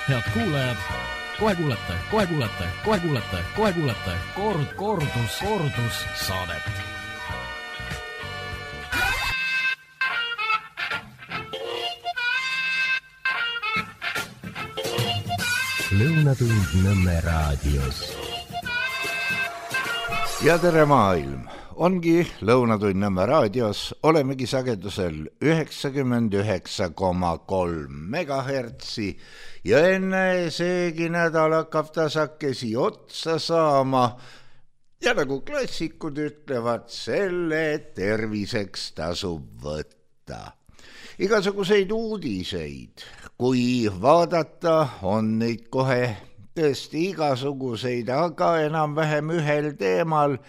Head kuulajad, kohe kuulete kordus saadet. Lõunatund Nõmme raadios. Ja tere maailm! Ongi Lõunatund Nõmme raadios, olemegi sagedusel 99,3 megahertsi ja enne seegi nädal hakkab tasakesi otsa saama ja nagu klassikud ütlevad, selle terviseks tasub võtta. Igasuguseid uudiseid, kui vaadata, on neid kohe tõesti igasuguseid, aga enam-vähem ühel teemal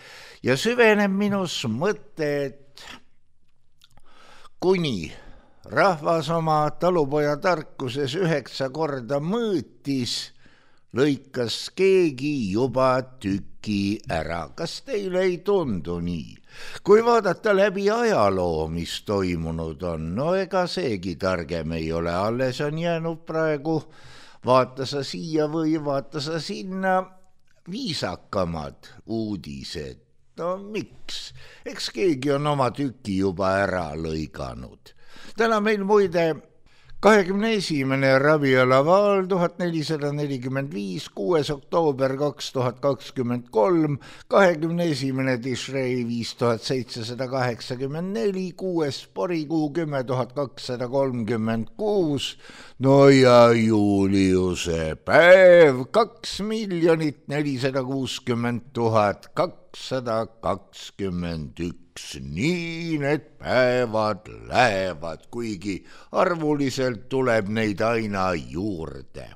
ja süveneb minus mõte, et kuni rahvas oma talupoja tarkuses 9 korda mõõtis, lõikas keegi juba tüki ära. Kas teile ei tundu nii? Kui vaadata läbi ajaloo, mis toimunud on, no ega seegi targem ei ole, alles on jäänud praegu vaata sa siia või vaata sa sinna viisakamad uudised. No miks? Eks keegi on oma tüki juba ära lõiganud. Täna meil muide 21. Rabialaval 1445, 6. oktoober 2023, 21. Tishrei 5784, 6. porikuu 10,236, no ja Juliuse päev 2,460,221. Nii need päevad lähevad, kuigi arvuliselt tuleb neid aina juurde.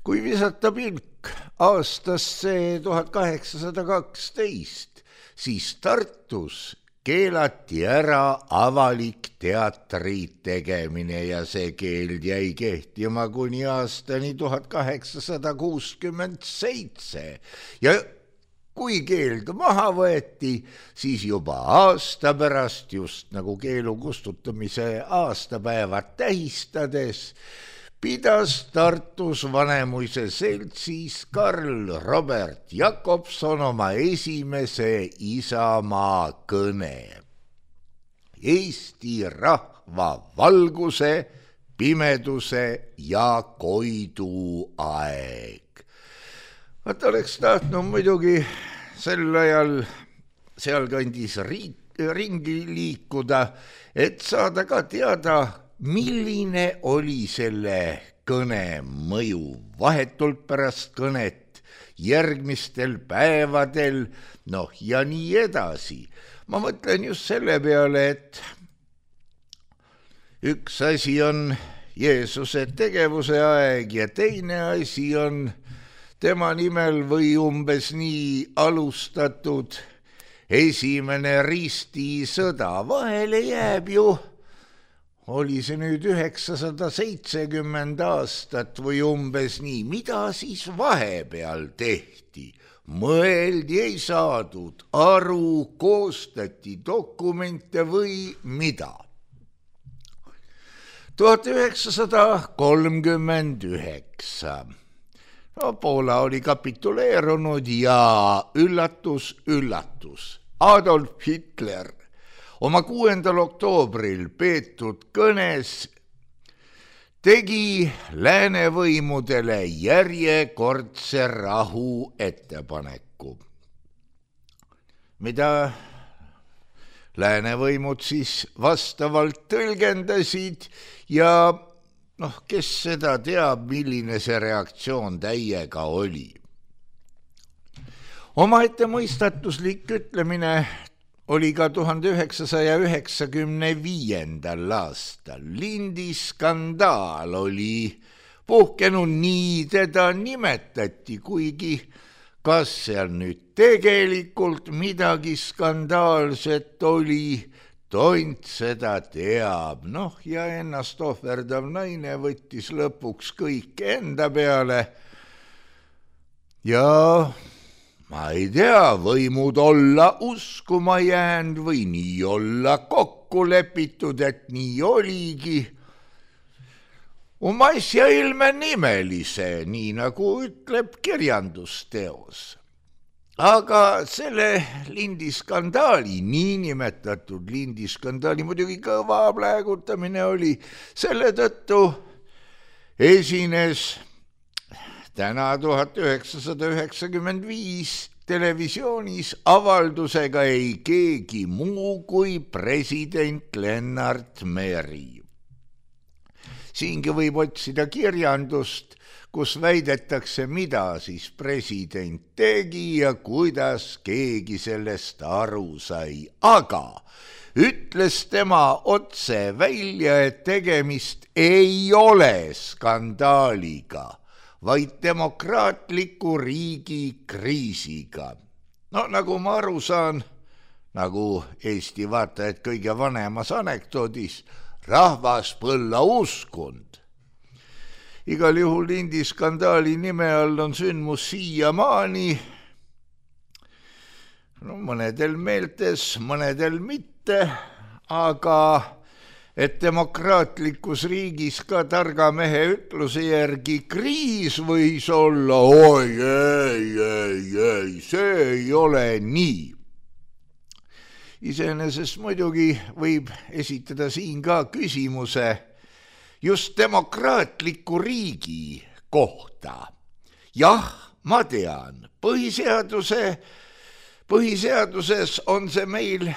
Kui visata pilk aastasse 1812, siis Tartus keelati ära avalik teatri tegemine ja see keeld jäi kehtima kuni aastani 1867 ja kui keeld maha võeti, siis juba aasta pärast, just nagu keelu kustutamise aastapäevad tähistades, pidas Tartus Vanemuise seltsis Karl Robert Jakobson oma esimese Isamaa kõne. Eesti rahva valguse, pimeduse ja koidu aeg. Vaat oleks tahtnud muidugi sel ajal sealkandis ringi liikuda, et saada ka teada, milline oli selle kõne mõju vahetult pärast kõnet, järgmistel päevadel, noh ja nii edasi. Ma mõtlen just selle peale, et üks asi on Jeesuse tegevuse aeg ja teine asi on tema nimel või umbes nii alustatud esimene ristisõda. Vahele jääb ju, oli see nüüd 970 aastat või umbes nii, mida siis vahepeal tehti? Mõeldi, ei saadud aru, koostati dokumente või mida? 1939. No, Poola oli kapituleerunud ja üllatus, Adolf Hitler oma 6. oktoobril peetud kõnes tegi läänevõimudele järjekordse rahu ettepaneku, mida läänevõimud siis vastavalt tõlgendasid ja kes seda teab, milline see reaktsioon täiega oli. Omaette mõistatuslik ütlemine oli ka 1995. aastal. Lindiskandaal oli puhkenud, nii teda nimetati, kuigi kas seal nüüd tegelikult midagi skandaalset oli, tont seda teab. Ja ennast ohverdav naine võttis lõpuks kõik enda peale. Ja ma ei tea, võimud olla uskuma jäänud või nii olla kokku lepitud, et nii oligi. asja ilme nimelise, nii nagu ütleb kirjandusteos. Aga selle lindiskandaali, niinimetatud lindiskandaali, muidugi kõva pläägutamine oli, selle tõttu esines täna 1995 televisioonis avaldusega ei keegi muu kui president Lennart Meri. Siingi võib otsida kirjandust, kus väidetakse, mida siis president tegi ja kuidas keegi sellest aru sai. Aga ütles tema otse välja, et tegemist ei ole skandaaliga, vaid demokraatliku riigi kriisiga. No nagu ma aru saan, nagu Eesti vaatajad kõige vanemas anekdoodis, rahvas põlla uskund. Igal juhul lindiskandaali nime all on sündmus siiamaani, mõnedel meeltes, mõnedel mitte, aga et demokraatlikus riigis ka targa mehe ütluse järgi kriis võis olla, oi, ei, see ei ole nii. Iseenesest muidugi võib esitada siin ka küsimuse just demokraatliku riigi kohta. Jah, ma tean, põhiseaduses on see meil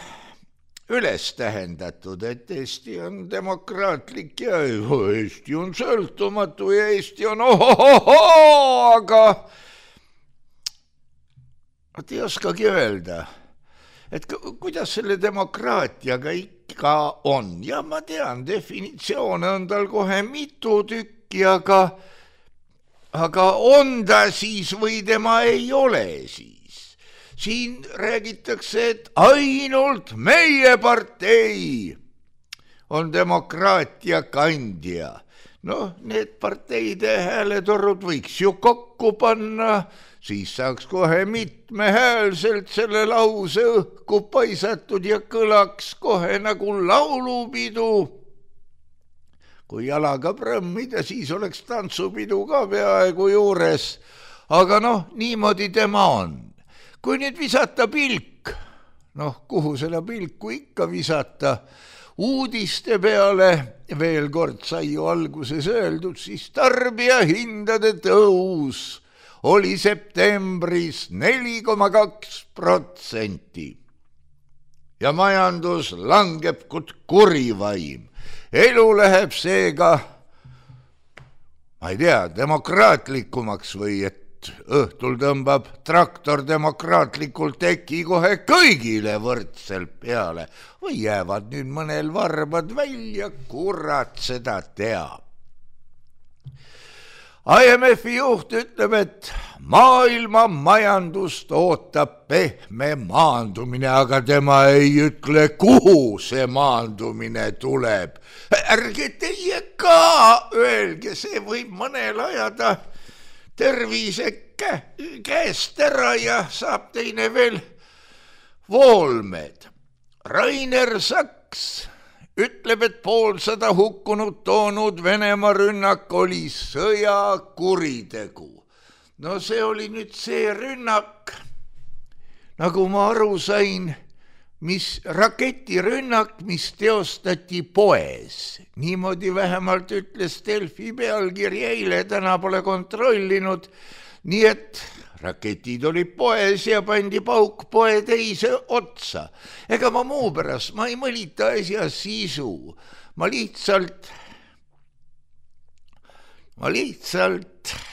üles tähendatud, et Eesti on demokraatlik ja Eesti on sõltumatu ja Eesti on aga ei oskagi öelda, et kuidas selle demokraatiaga ikka on. Ja ma tean, definitsioone on tal kohe mitu tükki, aga on ta siis või tema ei ole siis. Siin räägitakse, et ainult meie partei on demokraatia kandja. No, need parteide hääletorud võiks ju kokku panna, siis saaks kohe mitmehäälselt selle lause õhku paisatud ja kõlaks kohe nagu laulupidu. Kui jalaga prõmmida, siis oleks tantsupidu ka peaaegu juures. Aga niimoodi tema on. Kui nüüd visata pilk, kuhu selle pilku ikka visata, uudiste peale, veel kord sai ju alguses öeldud, siis tarbijahindade tõus oli septembris 4,2% ja majandus langeb kui kurivaim. Elu läheb seega, ma ei tea, demokraatlikumaks või et õhtul tõmbab traktor demokraatlikult teki kohe kõigile võrdselt peale või jäävad nüüd mõnel varbad välja, kurat seda teab. IMF-i juht ütleb, et maailma majandust ootab pehme maandumine, aga tema ei ütle, kuhu see maandumine tuleb. Ärge teie ka öelge, see võib mõnel ajada tervise käest ära ja saab teine veel voolmed. Rainer Saks ütleb, et 150 hukkunut toonud Venemaa rünnak oli sõjakuritegu. No see oli nüüd see rünnak, nagu ma aru sain, raketirünnak, mis teostati poes. Niimoodi vähemalt ütles Delfi pealkiri eile, täna pole kontrollinud, nii et raketid olid poes ja pandi pauk poe teise otsa. Ega ma muu pärast, ma ei mõlita asja sisu. Ma lihtsalt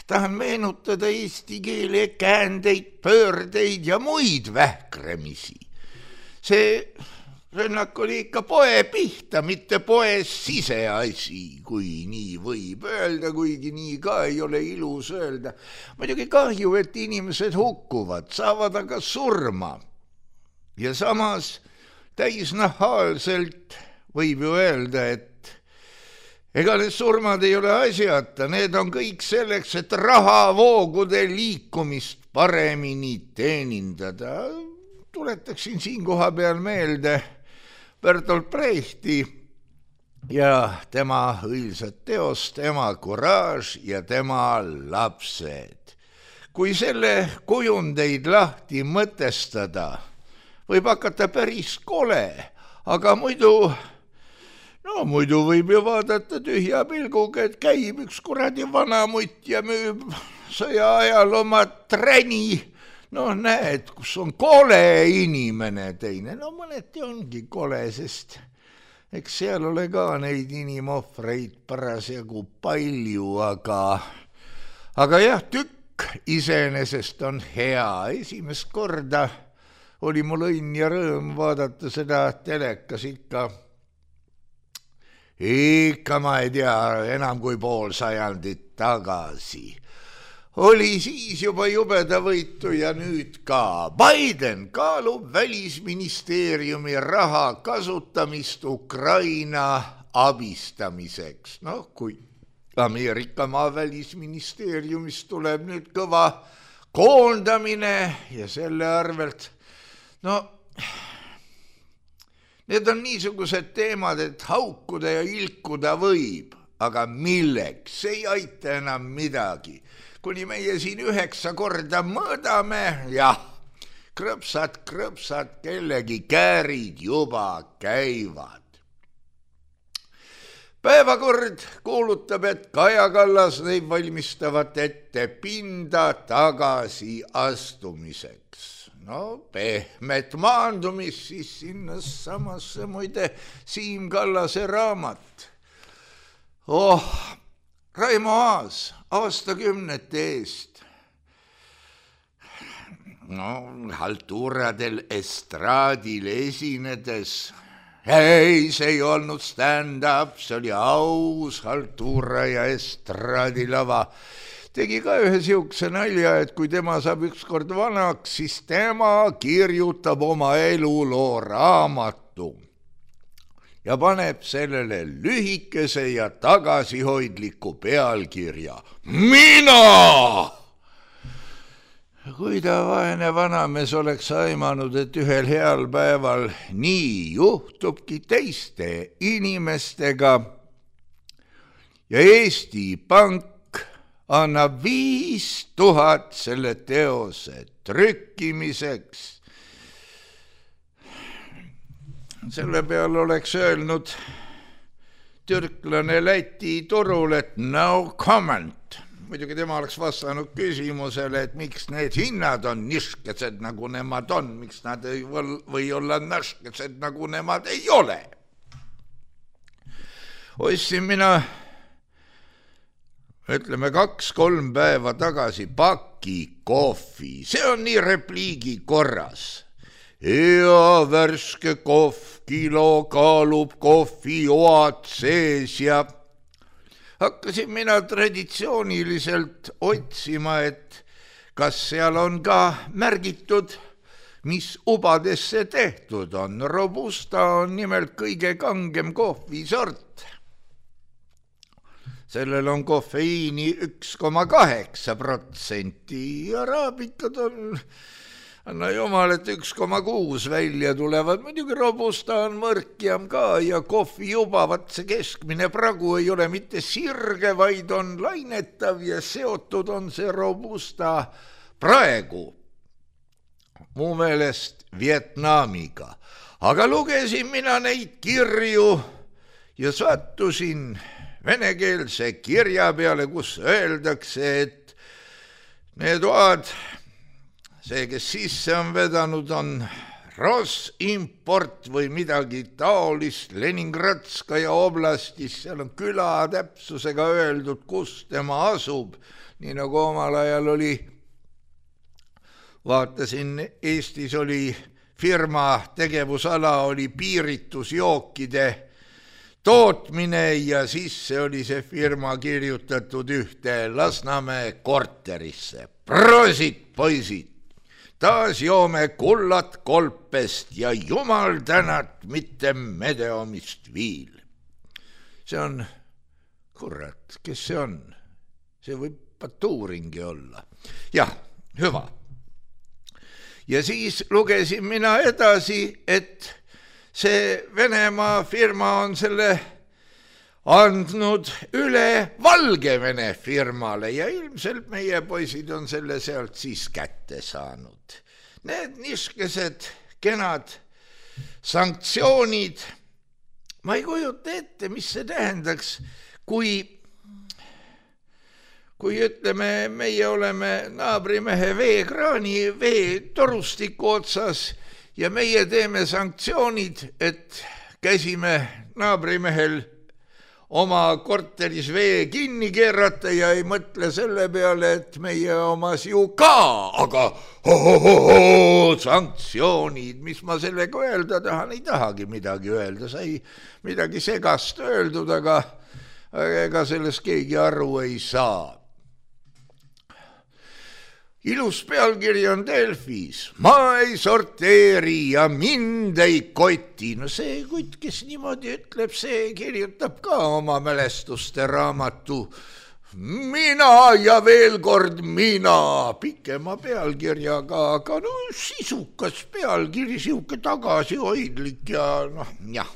tahan meenutada eesti keele käändeid, pöördeid ja muid vähkremisi. See rünnak oli ikka poe pihta, mitte poes siseasi, kui nii võib öelda, kuigi nii ka ei ole ilus öelda. Muidugi kahju, et inimesed hukkuvad, saavad aga surma. Ja samas täisnahaalselt võib ju öelda, et ega need surmad ei ole asjata, need on kõik selleks, et rahavoogude liikumist paremini teenindada. Tuletaksin siin koha peal meelde Bertolt Brechti ja tema õilsad teost, tema kuraaž ja tema lapsed. Kui selle kujundeid lahti mõtestada, võib hakata päris kole, aga muidu võib ju vaadata tühja pilguga, et käib üks kuradi vanamutt ja müüb sõja ajal oma träni. Näed, kus on kole inimene teine. Mõneti ongi kole, sest eks seal ole ka neid inimohvreid parasjagu palju, aga jah, tükk iseenesest on hea. Esimest korda oli mul õnn ja rõõm vaadata seda telekas ikka ma ei tea, enam kui pool sajandit tagasi. Oli siis juba jubeda võitu ja nüüd ka. Biden kaalub välisministeeriumi raha kasutamist Ukraina abistamiseks. Kui Ameerika maa välisministeeriumist tuleb nüüd kõva koondamine ja selle arvelt, need on niisugused teemad, et haukuda ja ilkuda võib, aga milleks? See ei aita enam midagi. Kuni meie siin 9 korda mõõdame, jah, krõpsad, kellegi käärid juba käivad. Päevakord kuulutab, et Kaja Kallas neib valmistavat ette pinda tagasi astumiseks. Pehmet maandumist siis sinna samasse muide Siim Kallase raamat. Raimo Aas aastakümnete eest. Haltuuradel estraadil esinedes. Ei, see ei olnud stand-up, see oli aus haltuura ja estraadilava. Tegi ka ühe siukse nalja, et kui tema saab ükskord vanaks, siis tema kirjutab oma eluloo raamatu ja paneb sellele lühikese ja tagasihoidliku pealkirja. Mina! Kui ta vaene vanamees oleks aimanud, et ühel heal päeval nii juhtubki teiste inimestega ja Eesti Pank annab 5000 selle teose trükkimiseks. Selle peal oleks öelnud türklane Läti turul, et no comment. Muidugi tema oleks vastanud küsimusele, et miks need hinnad on niškesed, nagu nemad on, miks nad ei või olla niškesed, nagu nemad ei ole. Ostsin mina, ütleme 2-3 päeva tagasi paki kohvi. See on nii repliigi korras. Hea värske kohv, kilo kaalub kohvi oad sees ja hakkasin mina traditsiooniliselt otsima, et kas seal on ka märgitud, mis ubadesse tehtud on. Robusta on nimelt kõige kangem kohvisort. Sellel on kofeiini 1,8% ja araabikad on, anna jumal, et 1,6 välja tulevad. Muidugi robusta on mõrkjam ka ja kohvi juba, see keskmine pragu ei ole mitte sirge, vaid on lainetav ja seotud on see robusta praegu mu meelest Vietnamiga. Aga lugesin mina neid kirju ja sattusin venekeelse kirja peale, kus öeldakse, et need oad, see, kes sisse on vedanud, on Rosimport või midagi taolist Leningradskaja oblastis. Seal on küla täpsusega öeldud, kus tema asub. Nii nagu omal ajal oli, vaatasin, Eestis oli firma tegevusala, oli piiritusjookide tootmine ja sisse oli see firma kirjutatud ühte Lasnamäe korterisse. Prosit, poisid! Taas joome kullat kolpest ja jumal tänat mitte medeomist viil. See on, kurat, kes see on? See võib Baturingi olla. Jah, hüva. Ja siis lugesin mina edasi, et see Venemaa firma on selle andnud üle Valgevene firmale ja ilmselt meie poisid on selle sealt siis kätte saanud. Need niisugused kenad sanktsioonid, ma ei kujuta ette, mis see tähendaks, kui ütleme, meie oleme naabrimehe veekraani veetorustiku otsas ja meie teeme sanktsioonid, et käsime naabrimehel oma korteris vee kinni keerata ja ei mõtle selle peale, et meie omas ju ka, aga sanktsioonid, mis ma sellega öelda tahan, ei tahagi midagi öelda, sai midagi segast öeldud, aga ega sellest keegi aru ei saa. Ilus pealkiri on Delfis. Ma ei sorteeri ja mind ei koti. No see kutt, kes niimoodi ütleb, see kirjutab ka oma mälestuste raamatu. Mina ja veel kord mina. Pikema pealkirjaga, aga no sisukas pealkiri, siuke tagasihoidlik ja noh, jah.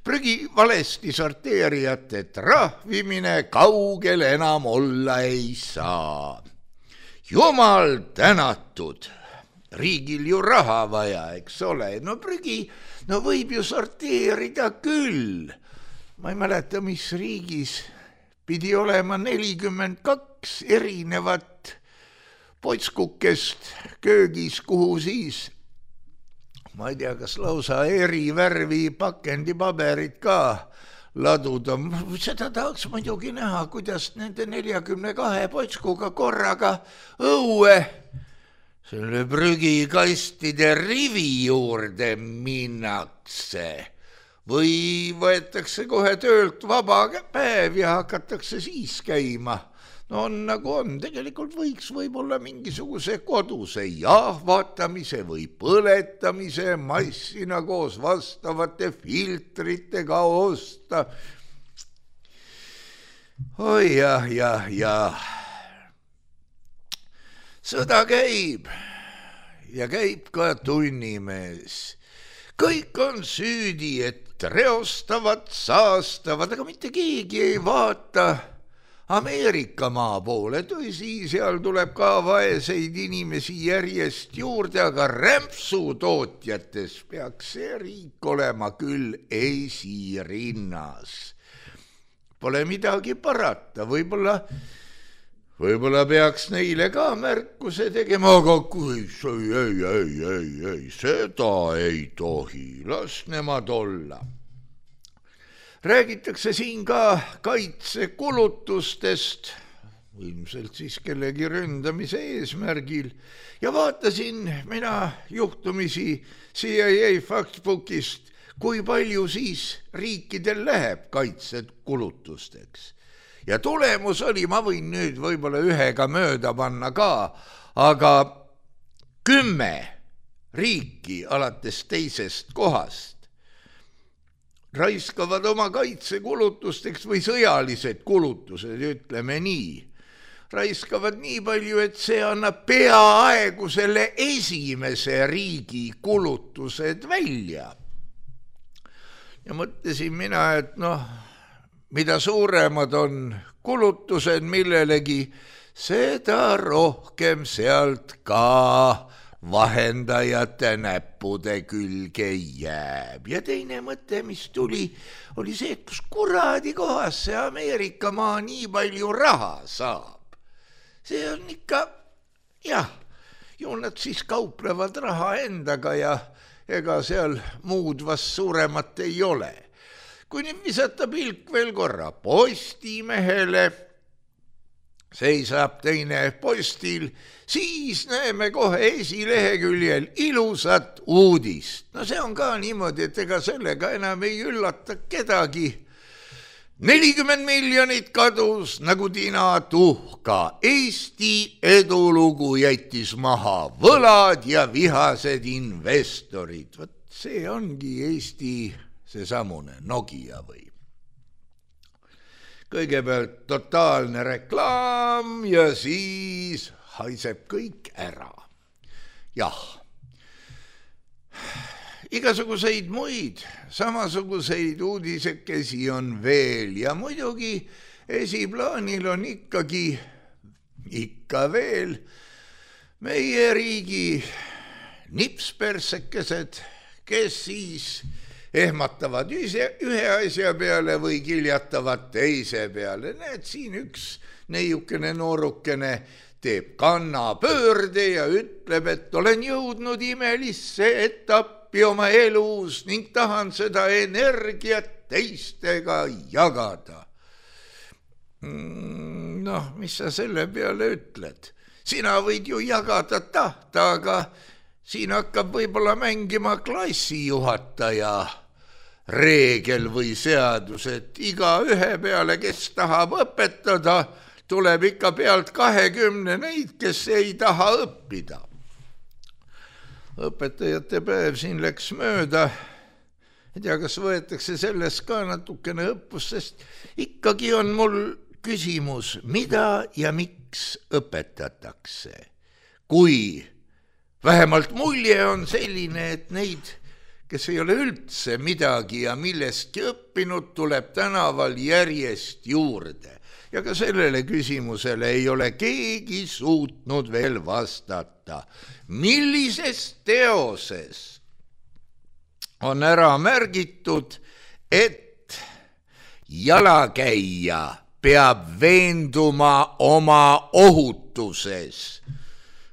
Prügi valesti sorteerijate trahvimine kaugel enam olla ei saa. Jumal tänatud, riigil ju raha vaja, eks ole, no prügi, no võib ju sorteerida küll. Ma ei mäleta, mis riigis pidi olema 42 erinevat potskukest köögis, kuhu siis, ma ei tea, kas lausa eri värvi pakendipaberid ka laduda. Seda tahaks muidugi näha, kuidas nende 42 potskuga korraga õue selle prügikastide rivi juurde minnakse. Või võetakse kohe töölt vaba päev ja hakatakse siis käima. No on nagu on, tegelikult võiks võib-olla mingisuguse koduse jahvatamise või põletamise massina koos vastavate filtritega osta. Oi jah. Sõda käib ja käib ka tunnimees. Kõik on süüdi, et reostavad, saastavad, aga mitte keegi ei vaata Ameerika maa poole, tõsi, seal tuleb ka vaeseid inimesi järjest juurde, aga rämpsutootjates peaks see riik olema küll esirinnas. Pole midagi parata, võib-olla peaks neile ka märkuse tegema, aga kui ei, seda ei tohi, las nemad olla. Räägitakse siin ka kaitsekulutustest, ilmselt siis kellegi ründamise eesmärgil, ja vaatasin mina juhtumisi CIA Factbookist, kui palju siis riikidel läheb kaitsekulutusteks. Ja tulemus oli, ma võin nüüd võib-olla ühega mööda panna ka, aga 10 riiki alates teisest kohast raiskavad oma kaitsekulutusteks või sõjalised kulutused, ütleme nii, raiskavad nii palju, et see annab peaaegu selle esimese riigi kulutused välja. Ja mõtlesin mina, et noh, mida suuremad on kulutused millelegi, seda rohkem sealt ka vahendajate näppude külge jääb. Ja teine mõte, mis tuli, oli see, et kus kuradi kohas see Ameerika maa nii palju raha saab. See on ikka, jah, ju nad siis kauplevad raha endaga ja ega seal muud vast suuremat ei ole. Kui nüüd visata pilk veel korra Postimehele, seisab teine postil, siis näeme kohe esileheküljel ilusat uudist. No see on ka niimoodi, et ega sellega enam ei üllata kedagi. 40 miljonit kadus nagu tina tuhka. Eesti edulugu jättis maha võlad ja vihased investorid. Võt see ongi Eesti seesamune Nokia või. Kõigepealt totaalne reklaam ja siis haiseb kõik ära. Jah, igasuguseid muid samasuguseid uudisekesi on veel ja muidugi esiplaanil on ikka veel meie riigi nipspersekesed, kes siis ehmatavad ühe asja peale või kiljatavad teise peale. Näed, siin üks neiukene noorukene teeb kannapöörde ja ütleb, et olen jõudnud imelisse etappi oma elus ning tahan seda energiat teistega jagada. Noh, mis sa selle peale ütled? Sina võid ju jagada tahta, aga siin hakkab võib-olla mängima klassijuhataja reegel või seadus, et iga ühe peale, kes tahab õpetada, tuleb ikka pealt 20 neid, kes ei taha õppida. Õpetajate päev siin läks mööda. Ei tea, kas võetakse sellest ka natukene õppust, sest ikkagi on mul küsimus, mida ja miks õpetatakse. Kui vähemalt mulje on selline, et neid, kes ei ole üldse midagi ja millestki õppinud, tuleb tänaval järjest juurde. Ja ka sellele küsimusele ei ole keegi suutnud veel vastata. Millises teoses on ära märgitud, et jalakäija peab veenduma oma ohutuses,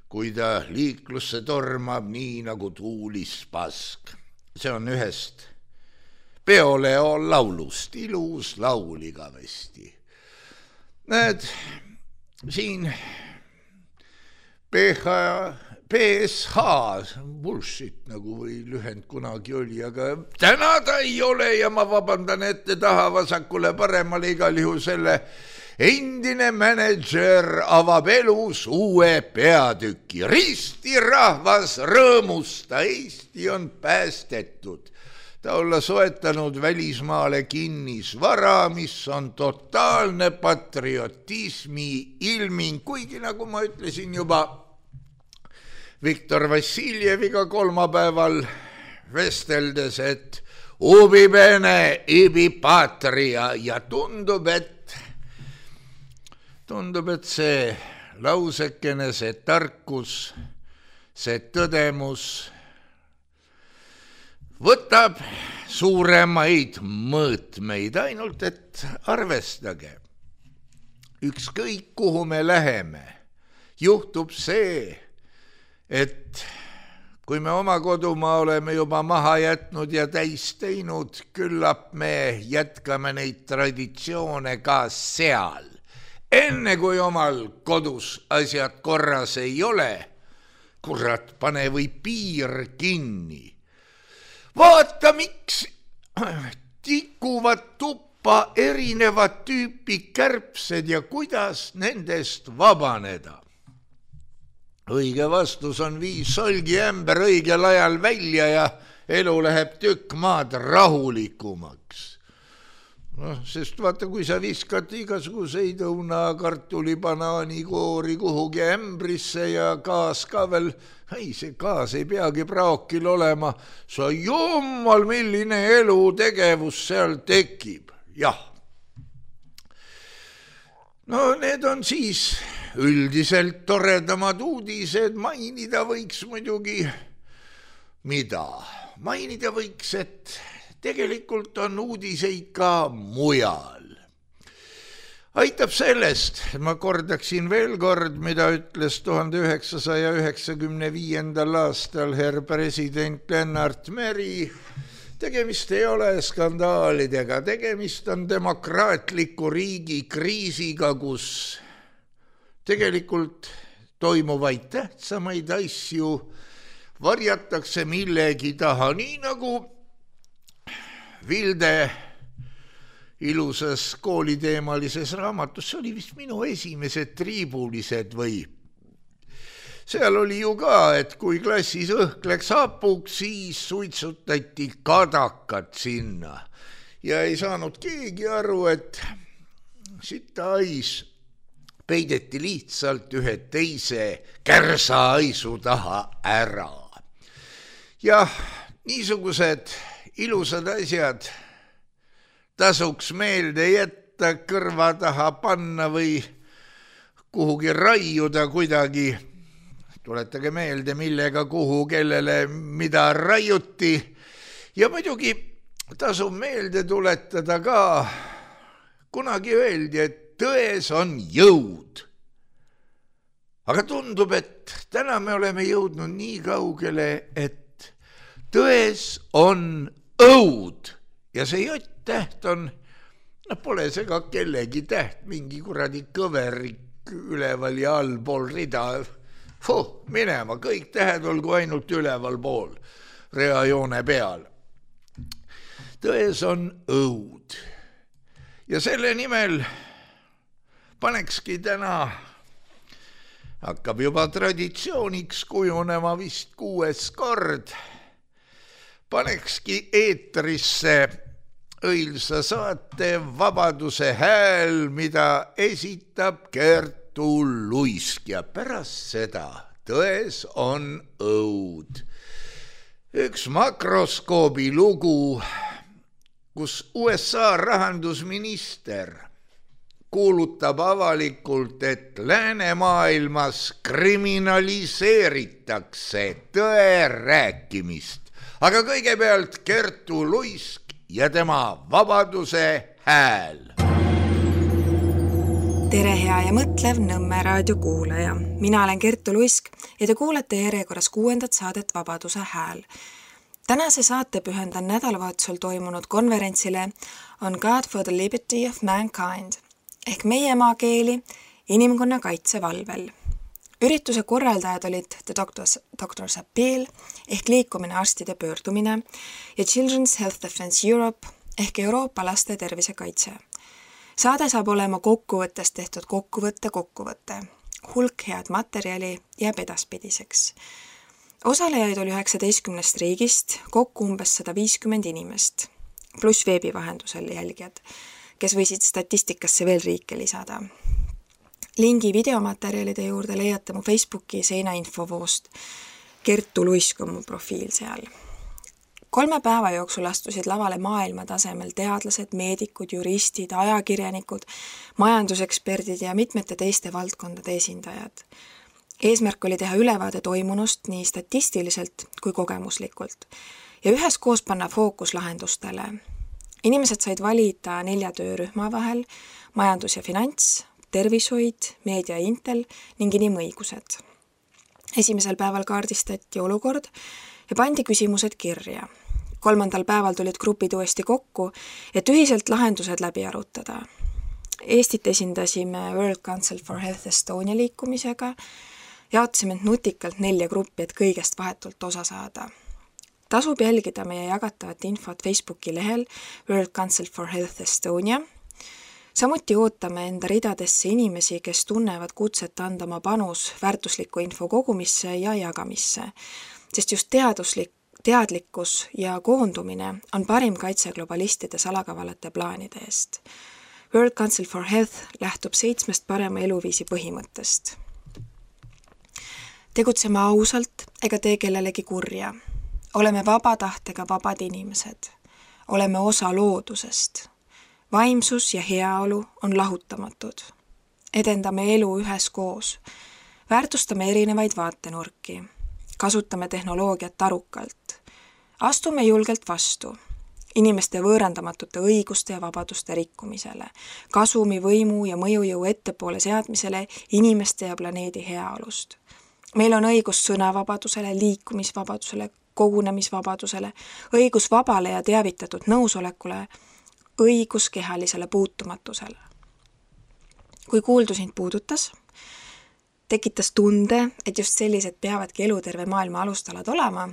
kui ta liiklusse tormab nii nagu tuulis pask. See on ühest Peoleo laulust, ilus laul igavesti. Näed, siin PSH, bullshit nagu või lühend kunagi oli, aga täna ta ei ole ja ma vabandan ette taha vasakule paremale igal juhul selle endine mänedžer avab elus uue peatüki. Risti rahvas rõõmusta, Eesti on päästetud. Ta olla soetanud välismaale kinnisvara, mis on totaalne patriotismi ilming, kuigi nagu ma ütlesin juba Viktor Vassiljeviga kolmapäeval vesteldes, et ubi bene, ibi patria ja tundub, et see lausekene, see tarkus, see tõdemus võtab suuremaid mõõtmeid, ainult et arvestage. Ükskõik kuhu me läheme, juhtub see, et kui me oma kodumaa oleme juba maha jätnud ja täis teinud, küllap me jätkame neid traditsioone ka seal. Enne kui omal kodus asjad korras ei ole, kurat, pane või piir kinni. Vaata, miks tikuvad tuppa erinevad tüüpi kärbsed ja kuidas nendest vabaneda. Õige vastus on 5 solgiämber õigel ajal välja ja elu läheb tükk maad rahulikumaks. Sest vaata, kui sa viskad igasuguseid õuna, kartuli, banaani, koori kuhugi ämbrisse ja gaas ka veel, see gaas ei peagi praokil olema, sa jummal, milline elutegevus seal tekib. Jah. No need on siis üldiselt toredamad uudised, mainida võiks muidugi mida? Mainida võiks, et tegelikult on uudiseid ka mujal. Aitab sellest, ma kordaksin veel kord, mida ütles 1995. aastal herr president Lennart Meri. Tegemist ei ole skandaalidega, tegemist on demokraatliku riigi kriisiga, kus tegelikult toimuvaid tähtsamaid asju varjatakse millegi taha, nii nagu Vilde ilusas kooliteemalises raamatus, see oli vist minu esimesed triibulised või. Seal oli ju ka, et kui klassis õhk läks hapuks, siis suitsutati kadakat sinna ja ei saanud keegi aru, et sitahais peideti lihtsalt ühe teise kärsaaisu taha ära. Jah, niisugused ilusad asjad tasuks meelde jätta, kõrva taha panna või kuhugi raiuda kuidagi. Tuletage meelde, millega, kuhu, kellele, mida raiuti. Ja muidugi tasub meelde tuletada ka, kunagi öeldi, et tões on jõud. Aga tundub, et täna me oleme jõudnud nii kaugele, et tões on õud. Ja see J-täht on, pole see ka kellegi täht, mingi kuradi kõverik üleval ja allpool rida. Minema, kõik tähed olgu ainult üleval pool, reajoone peal. Tões on õud. Ja selle nimel panekski täna, hakkab juba traditsiooniks kujunema vist 6. kord, panekski eetrisse õilsa saate Vabaduse hääl, mida esitab Kertu Luisk ja pärast seda tões on õud. Üks makroskoobi lugu, kus USA rahandusminister kuulutab avalikult, et läänemaailmas kriminaliseeritakse tõe rääkimist. Aga kõigepealt Kertu Luisk ja tema Vabaduse hääl. Tere hea ja mõtlev Nõmme raadio kuulaja. Mina olen Kertu Luisk ja te kuulete järjekorras 6. saadet Vabaduse hääl. Tänase saate pühendan nädalavahetusel toimunud konverentsile On God for the Liberty of Mankind ehk meie maakeeli inimkonna kaitse valvel. Ürituse korraldajad olid The Doctor's Appeal ehk liikumine arstide pöördumine ja Children's Health Defense Europe ehk Euroopa laste tervisekaitse. Saade saab olema kokkuvõttest tehtud kokkuvõtte. Hulk head materjali jääb edaspidiseks. Osalejaid oli 19 riigist, kokku umbes 150 inimest, pluss veebi vahendusel jälgijad, kes võisid statistikasse veel riike lisada. Lingi videomaterjalide juurde leiate mu Facebooki seinainfovoost. Kertu Luisk on mu profiil seal. 3 päeva jooksul astusid lavale maailma tasemel teadlased, meedikud, juristid, ajakirjanikud, majanduseksperdid ja mitmete teiste valdkondade esindajad. Eesmärk oli teha ülevaade toimunust nii statistiliselt kui kogemuslikult ja üheskoos panna fookus lahendustele. Inimesed said valida 4 töörühma vahel, majandus ja finants, tervishoid, meedia ja intel ning inimõigused. Esimesel päeval kaardistati olukord ja pandi küsimused kirja. 3. päeval tulid grupid uuesti kokku, et ühiselt lahendused läbi arutada. Eestit esindasime World Council for Health Estonia liikumisega, jaotasime nutikalt 4 gruppi, et kõigest vahetult osa saada. Tasub jälgida meie jagatavat infot Facebooki lehel World Council for Health Estonia. Samuti ootame enda ridadesse inimesi, kes tunnevad kutset anda oma panus väärtusliku info kogumisse ja jagamisse, sest just teadlikkus ja koondumine on parim kaitse globalistide salakavalate plaanide eest. World Council for Health lähtub 7 parema eluviisi põhimõttest. Tegutseme ausalt ega tee kellelegi kurja. Oleme vaba tahtega vabad inimesed. Oleme osa loodusest. Vaimsus ja heaolu on lahutamatud. Edendame elu üheskoos. Väärtustame erinevaid vaatenurki. Kasutame tehnoloogiat arukalt. Astume julgelt vastu inimeste võõrandamatute õiguste ja vabaduste rikkumisele, kasumi, võimu ja mõjujõu ettepoole seadmisele inimeste ja planeedi heaolust. Meil on õigus sõnavabadusele, liikumisvabadusele, kogunemisvabadusele, õigus vabale ja teavitatud nõusolekule, õigus kehalisele puutumatusele. Kui kuuldu sind puudutas, tekitas tunde, et just sellised peavadki eluterve maailma alustalad olema,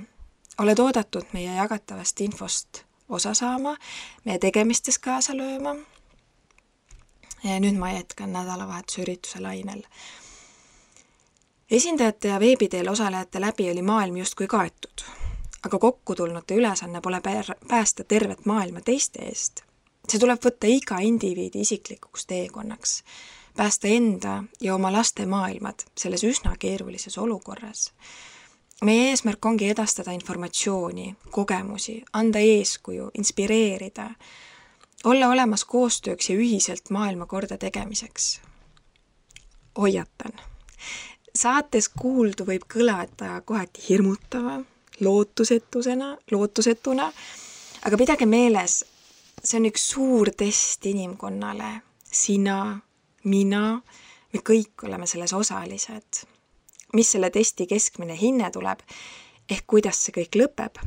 oled oodatud meie jagatavast infost osa saama, meie tegemistes kaasa lööma. Ja nüüd ma jätkan nädalavahetuse ürituse lainel. Esindajate ja veebiteel osalejate läbi oli maailm justkui kaetud, aga kokkutulnute ülesanne pole päästa tervet maailma teiste eest. See tuleb võtta iga indiviidi isiklikuks teekonnaks, päästa enda ja oma laste maailmad selles üsna keerulises olukorras. meie eesmärk ongi edastada informatsiooni, kogemusi, anda eeskuju, inspireerida, olla olemas koostööks ja ühiselt maailma korda tegemiseks. Hoiatan. Saates kuuldu võib kõlada kohati hirmutava, lootusetuna, aga pidage meeles, see on üks suur test inimkonnale. Sina, mina, me kõik oleme selles osalised. Mis selle testi keskmine hinne tuleb, ehk kuidas see kõik lõpeb,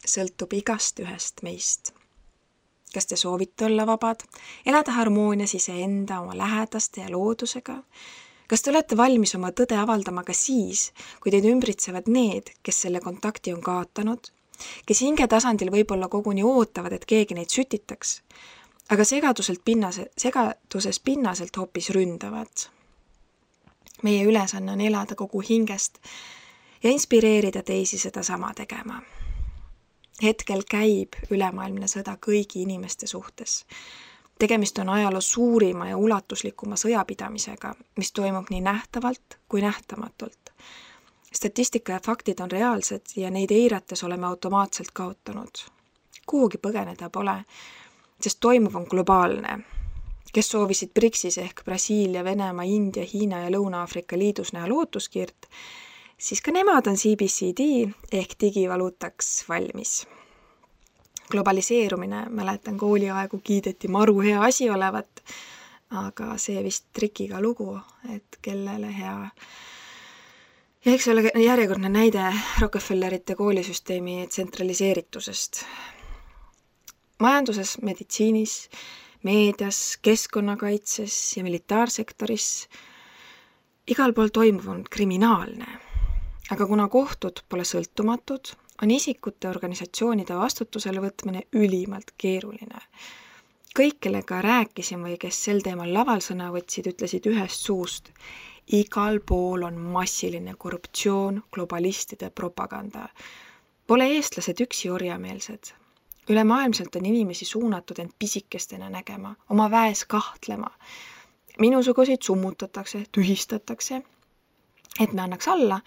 sõltub igast ühest meist. Kas te soovite olla vabad, elada harmoonias iseenda, oma lähedaste ja loodusega? Kas te olete valmis oma tõde avaldama ka siis, kui teid ümbritsevad need, kes selle kontakti on kaotanud, kes hinge tasandil võib-olla koguni ootavad, et keegi neid sütitaks, aga segaduses pinnaselt hoopis ründavad? Meie ülesanne on elada kogu hingest ja inspireerida teisi seda sama tegema. Hetkel käib ülemaailmne sõda kõigi inimeste suhtes. Tegemist on ajaloo suurima ja ulatuslikuma sõjapidamisega, mis toimub nii nähtavalt kui nähtamatult. Statistika ja faktid on reaalsed ja neid eirates oleme automaatselt kaotanud. Kuhugi põgeneda pole, sest toimuv on globaalne. Kes soovisid BRICSis ehk Brasiilia, Venemaa, India, Hiina ja Lõuna-Aafrika liidus näha lootuskiirt, siis ka nemad on CBCD ehk digivaluutaks valmis. Globaliseerumine, mäletan kooliaegu kiideti maru hea asi olevat, aga see vist trikiga lugu, et kellele hea. Ja eks ole järjekordne näide Rockefellerite koolisüsteemi tsentraliseeritusest. Majanduses, meditsiinis, meedias, keskkonnakaitses ja militaarsektoris igal pool toimuv on kriminaalne. Aga kuna kohtud pole sõltumatud, on isikute organisatsioonide vastutusele võtmine ülimalt keeruline. Kõik, kellega rääkisin või kes sel teemal laval sõna võtsid, ütlesid ühest suust: igal pool on massiline korruptsioon, globalistide propaganda. Pole eestlased üksi orjameelsed. Ülemaailmselt on inimesi suunatud end pisikestena nägema, oma väes kahtlema. Minusuguseid summutatakse, tühistatakse, et me annaks alla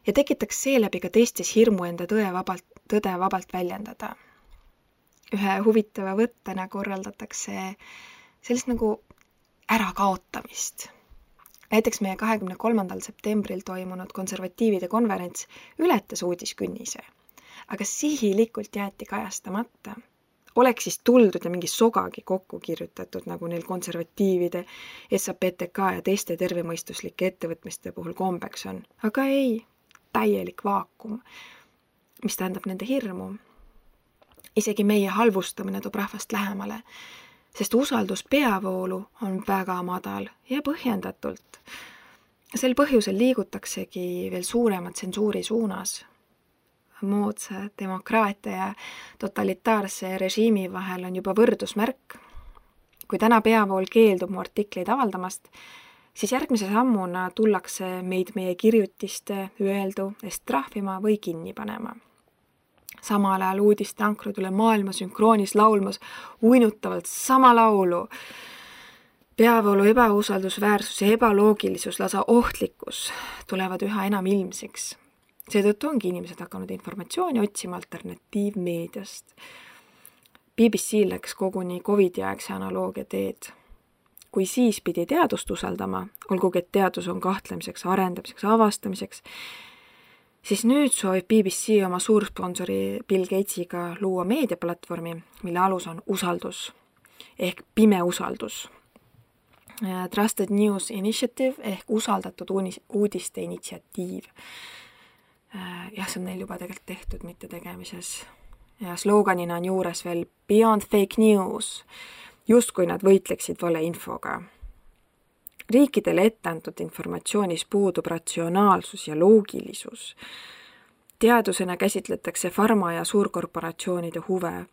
ja tekitaks seeläbi ka teistes hirmu enda tõde vabalt väljendada. Ühe huvitava võttena korraldatakse sellist nagu ärakaotamist. Näiteks meie 23. septembril toimunud konservatiivide konverents ületas uudiskünnise, aga sihilikult jäeti kajastamata. Oleks siis tuldud ja mingi sogagi kokku kirjutatud, nagu neil konservatiivide, SAPTK ja teiste tervemõistuslike ettevõtmiste puhul kombeks on. Aga ei, täielik vaakum, mis tähendab nende hirmu. Isegi meie halvustamine toob rahvast lähemale, sest usaldus peavoolu on väga madal ja põhjendatult. Sel põhjusel liigutaksegi veel suurema tsensuuri suunas. Moodsa demokraatia ja totalitaarse režiimi vahel on juba võrdusmärk. Kui täna peavool keeldub mu artikleid avaldamast, siis järgmise sammuna tullakse meid meie kirjutiste öeldu eest trahvima või kinni panema. Samal ajal uudiste ankrud üle maailma sünkroonis laulmas uinutavalt sama laulu. Peavoolu ebausaldusväärsus ja ebaloogilisus, lausa ohtlikkus tulevad üha enam ilmsiks. Seetõttu ongi inimesed hakanud informatsiooni otsima alternatiivmeediast. BBC läks koguni COVID-aegse analoogia teed. Kui siis pidi teadust usaldama, olgugi et teadus on kahtlemiseks, arendamiseks, avastamiseks, siis nüüd soovib BBC oma suursponsori Bill Gatesiga luua meediaplatvormi, mille alus on usaldus ehk pime usaldus. Trusted News Initiative ehk usaldatud uudiste initsiatiiv. Jah, see on neil juba tegelikult tehtud, mitte tegemises. Ja sloganina on juures veel Beyond Fake News, justkui nad võitleksid valeinfoga. Riikidele etteantud informatsioonis puudub ratsionaalsus ja loogilisus. Teadusena käsitletakse farma- ja suurkorporatsioonide huve,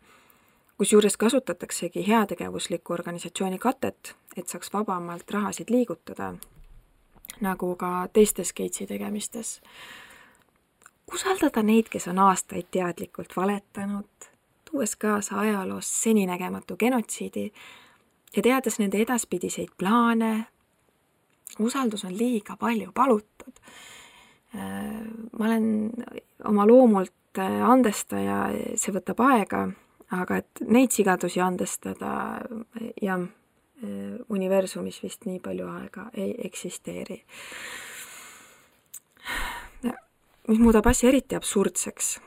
kusjuures kasutataksegi heategevusliku organisatsiooni katet, et saaks vabamalt rahasid liigutada, nagu ka teistes Gatesi tegemistes. Usaldada neid, kes on aastaid teadlikult valetanud, tuues kaasa ajaloos seninägematu genotsiidi ja teades nende edaspidiseid plaane. Usaldus on liiga palju palutud. Ma olen oma loomult andestaja, see võtab aega, aga et neid sigadusi andestada ja universumis vist nii palju aega ei eksisteeri. Mis muudab asja eriti absurdseks.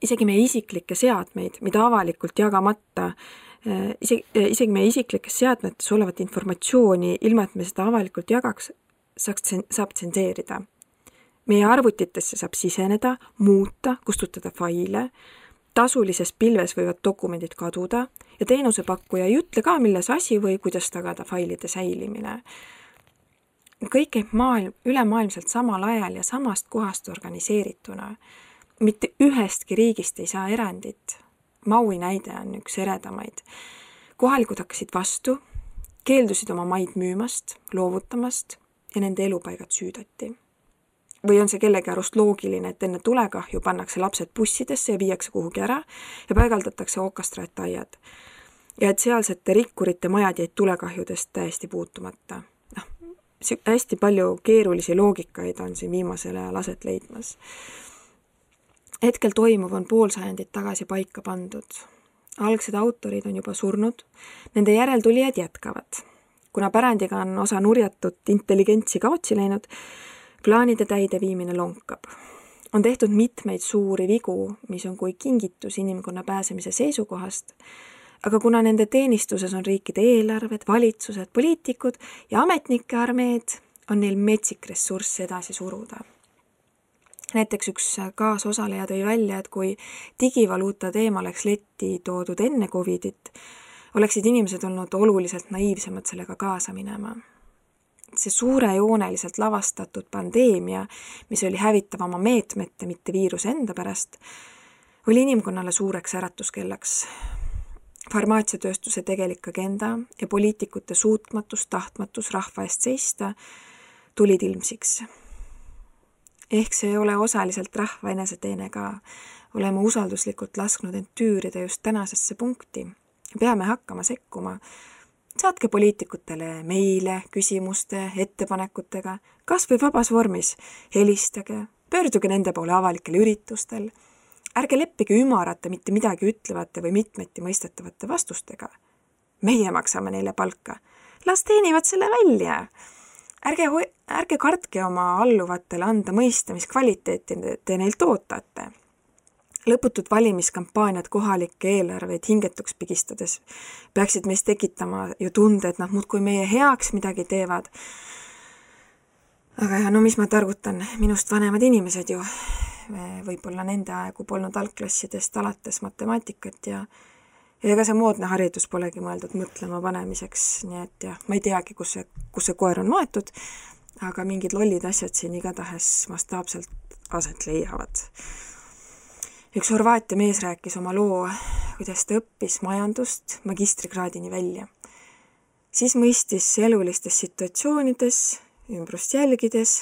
Isegi meie isiklikke seadmeid, mida avalikult jagamata, isegi meie isiklikes seadmetes olevat informatsiooni, ilma et me seda avalikult jagaks, saab tsenseerida. Meie arvutitesse saab siseneda, muuta, kustutada faile, tasulises pilves võivad dokumendid kaduda ja teenusepakkuja ei ütle ka, milles asi või kuidas tagada failide säilimine. Kõik käib ülemaailmselt samal ajal ja samast kohast organiseerituna. Mitte ühestki riigist ei saa erandit. Maui näide on üks eredamaid. Kohalikud hakkasid vastu, keeldusid oma maid müümast, loovutamast ja nende elupaigad süüdati. Või on see kellegi arust loogiline, et enne tulekahju pannakse lapsed bussidesse ja viiakse kuhugi ära ja paigaldatakse okastraataiad. Ja et sealsete rikkurite majad jäid tulekahjudest täiesti puutumata. Hästi palju keerulisi loogikaid on siin viimasel ajal aset leidmas. Hetkel toimuv on pool sajandit tagasi paika pandud. Algsed autorid on juba surnud, nende järeltulijad jätkavad. Kuna pärandiga on osa nurjatud intelligentsi kaotsi läinud, plaanide täide viimine lonkab. On tehtud mitmeid suuri vigu, mis on kui kingitus inimkonna pääsemise seisukohast, aga kuna nende teenistuses on riikide eelarved, valitsused, poliitikud ja ametnike armeed, on neil metsik ressurss edasi suruda. Näiteks üks kaasosaleja tõi välja, et kui digivaluuta teema oleks letti toodud enne Covidit, oleksid inimesed olnud oluliselt naiivsemad sellega kaasa minema. See suurejooneliselt lavastatud pandeemia, mis oli hävitav oma meetmete, mitte viiruse enda pärast, oli inimkonnale suureks äratuskellaks. Farmaatsiatööstuse tegelik agenda ja poliitikute suutmatus, tahtmatus rahva eest seista tulid ilmsiks. Ehk see ei ole osaliselt rahva eneseteene ka. Oleme usalduslikult lasknud end tüürida just tänasesse punkti. Peame hakkama sekkuma. Saatke poliitikutele meile, küsimuste, ettepanekutega, kas või vabas vormis. Helistage, pöörduge nende poole avalikel üritustel. Ärge leppige ümarate mitte midagi ütlevate või mitmeti mõistetavate vastustega. Meie maksame neile palka. Las teenivad selle välja. Ärge kartke oma alluvatele anda mõista, mis kvaliteeti te neilt ootate. Lõputud valimiskampaaniad kohalikke eelarveid hingetuks pigistades peaksid meist tekitama ju tunde, et nad muudkui meie heaks midagi teevad. Aga no mis ma targutan, minust vanemad inimesed ju. Võib-olla nende aegu polnud algklassidest alates matemaatikat ja ega see moodne haridus polegi mõeldud mõtlema panemiseks, nii et jah, ma ei teagi, kus see koer on maetud, aga mingid lollid asjad siin igatahes mastaapselt aset leiavad. Üks Horvaatia mees rääkis oma loo, kuidas ta õppis majandust magistrikraadini välja. Siis mõistis elulistes situatsioonides, ümbrust jälgides,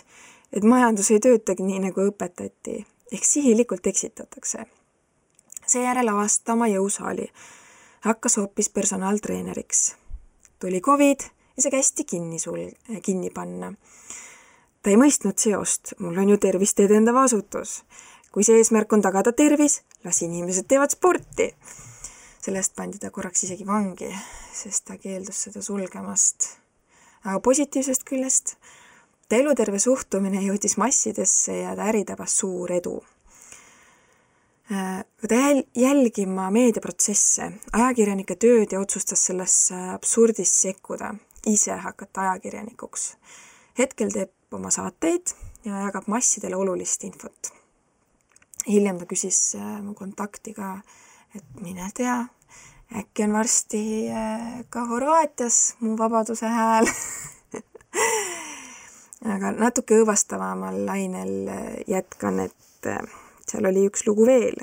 et majandus ei töötagi nii, nagu õpetati, ehk sihilikult eksitatakse. Seejärel avasta oma jõusaali. Hakkas hoopis personaaltreeneriks. Tuli Covid ja see kästi kinni panna. Ta ei mõistnud seost, mul on ju tervist edendav asutus. Kui see eesmärk on tagada tervis, las inimesed teevad sporti. Sellest pandi ta korraks isegi vangi, sest ta keeldus seda sulgemast. Aga positiivsest küljest, ta eluterve suhtumine jõudis massidesse ja ta äri tabas suur edu. Ta jälgima meediaprotsesse, ajakirjanike tööd ja otsustas sellesse absurdis sekkuda, ise hakata ajakirjanikuks. Hetkel teeb oma saateid ja jagab massidele olulist infot. Hiljem ta küsis mu kontakti ka, et mine tea, äkki on varsti ka Horvaatias mu vabaduse hääl. Aga natuke õõvastavamal lainel jätkan, et seal oli üks lugu veel.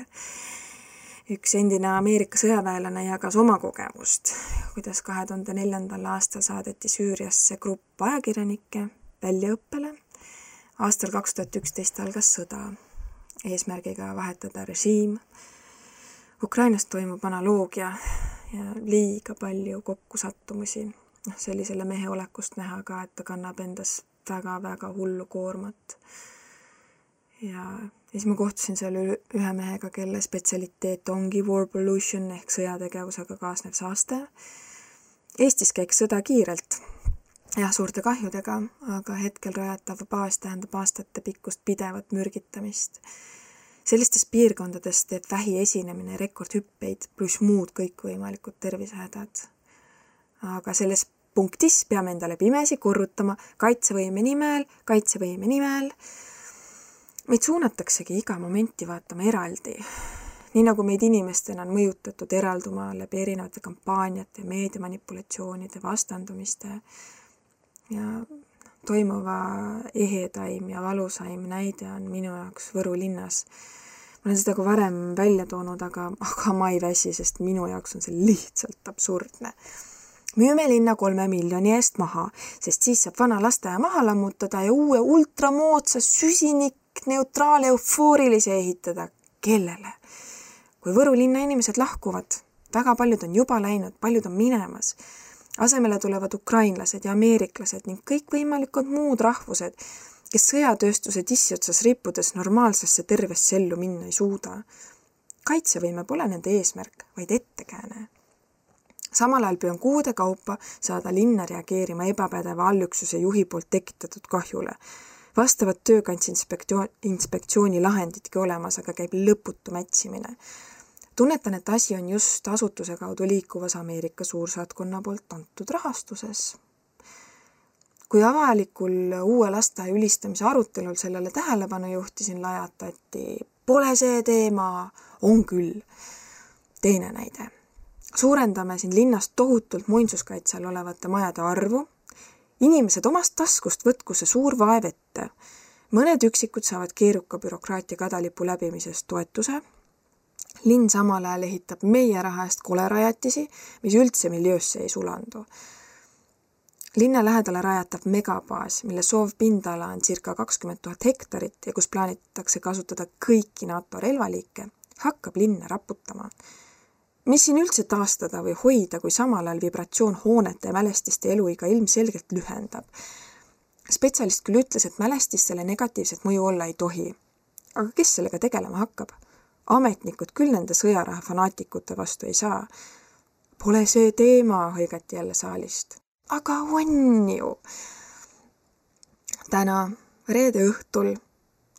Üks endine Ameerika sõjaväelane jagas oma kogemust, kuidas 2004. aastal saadeti Süüriasse grupp ajakirjanikke väljaõppele. Aastal 2011 algas sõda. Eesmärgiga vahetada režiim. Ukrainas toimub analoogia ja liiga palju kokkusattumusi. See oli selle mehe olekust näha ka, et ta kannab endas väga-väga hullu koormat. ja siis ma kohtusin seal ühe mehega, kelle spetsialiteet ongi war pollution ehk sõjategevusega kaasnev saaste. Eestis käiks sõda kiirelt, jah, suurte kahjudega, aga hetkel rajatav baas tähendab aastate pikkust pidevat mürgitamist. Sellistes piirkondades teeb vähi esinemine rekordhüppeid pluss muud kõikvõimalikud tervisehädad. Aga selles punktis peame endale pimesi korrutama kaitsevõime nimel. Meid suunataksegi iga momenti vaatama eraldi. Nii nagu meid inimestena on mõjutatud eralduma läbi erinevate kampaaniate, meediamanipulatsioonide, vastandumiste ja toimuva ehedaim ja valusaim näide on minu jaoks Võru linnas. Ma olen seda ka varem välja toonud, aga ma ei väsi, sest minu jaoks on see lihtsalt absurdne. Müüme linna 3 miljoni eest maha, sest siis saab vana lasteaia maha lammutada ja uue ultramoodsa süsinikneutraale eufoorilise ehitada. Kellele? Kui Võru linna inimesed lahkuvad, väga paljud on juba läinud, paljud on minemas. Asemele tulevad ukrainlased ja ameeriklased ning kõikvõimalikud muud rahvused, kes sõjatööstuse tissiotsas rippudes normaalsesse tervesse ellu minna ei suuda. Kaitsevõime pole nende eesmärk, vaid ettekääne. Samal ajal püüan kuude kaupa saada linna reageerima ebapädeva allüksuse juhi poolt tekitatud kahjule. Vastavad töökantsinspektsiooni lahendidki olemas, aga käib lõputu mätsimine. Tunnetan, et asi on just asutuse kaudu liikuvas Ameerika suursaatkonna poolt antud rahastuses. Kui avalikul uue lasteaia ülistamise arutelul sellele tähelepanu juhtisin, lajatati, pole see teema, on küll. Teine näide. Suurendame siin linnast tohutult muinsuskaitsel olevate majade arvu. Inimesed omast taskust võtku see suur vaev ette. Mõned üksikud saavad keeruka bürokraatia kadalipu läbimisest toetuse. Linn samal ajal ehitab meie raha eest kolerajatisi, mis üldse miljöösse ei sulandu. Linna lähedale rajatav megabaas, mille soovpindala on circa 20 000 hektarit ja kus plaanitakse kasutada kõiki NATO relvaliike, hakkab linna raputama. Mis siin üldse taastada või hoida, kui samal ajal vibratsioon hoonete ja mälestiste eluiga ilmselgelt lühendab? Spetsialist küll ütles, et mälestistele negatiivset mõju olla ei tohi. Aga kes sellega tegelema hakkab? Ametnikud küll nende sõjaraha fanaatikute vastu ei saa. Pole see teema, hõigati jälle saalist. Aga on ju! Täna, reede õhtul,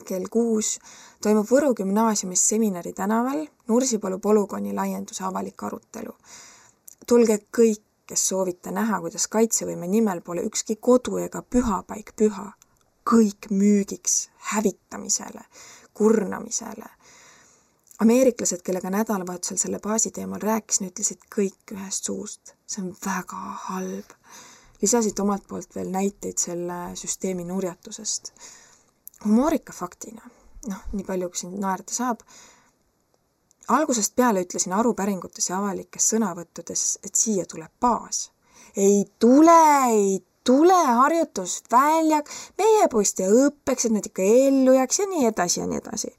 kell 6, toimub Võru gümnaasiumis seminari tänaval Nursipalu polügooni laienduse avalik arutelu. Tulge kõik, kes soovite näha, kuidas kaitsevõime nimel pole ükski kodu ega pühapaik püha. Kõik müügiks, hävitamisele, kurnamisele. Ameeriklased, kellega nädalavahetusel selle baasi teemal rääkisin, ütlesid kõik ühest suust. See on väga halb. Lisasid omalt poolt veel näiteid selle süsteemi nurjatusest. Humoorika faktina, nii palju kui siin naerda saab. Algusest peale ütlesin arupäringutes ja avalikes sõnavõttudes, et siia tuleb baas. Ei tule harjutusväljak, meie poist ja õppeks, et nad ikka ellu jääks ja nii edasi ja nii edasi.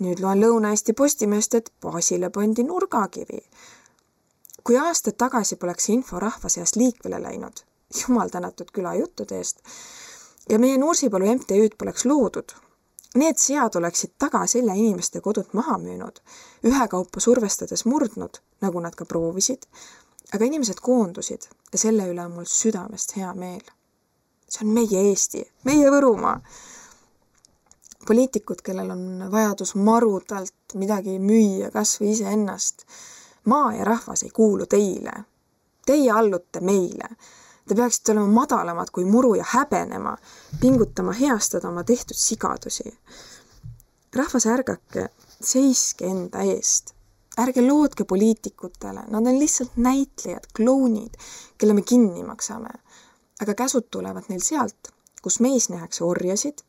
Nüüd loen Lõuna-Eesti Postimeest, et baasile pandi nurgakivi. Kui aastad tagasi poleks info rahva seast liikvele läinud, jumal tänatud küla juttude eest, ja meie Nursipalu MTÜ-d poleks loodud, need sead oleksid taga selja inimeste kodut maha müünud, ühekaupa survestades murdnud, nagu nad ka proovisid, aga inimesed koondusid ja selle üle on mul südamest hea meel. See on meie Eesti, meie Võrumaa. Poliitikud, kellel on vajadus marudalt midagi müüa kas või ise ennast. Maa ja rahvas ei kuulu teile. Teie allute meile. Te peaksite olema madalamad kui muru ja häbenema, pingutama heastada oma tehtud sigadusi. Rahvas ärgake, seiske enda eest. Ärge loodke poliitikutele, nad on lihtsalt näitlejad, klounid, kelle me kinni maksame. Aga käsud tulevad neil sealt, kus meis nähakse orjasid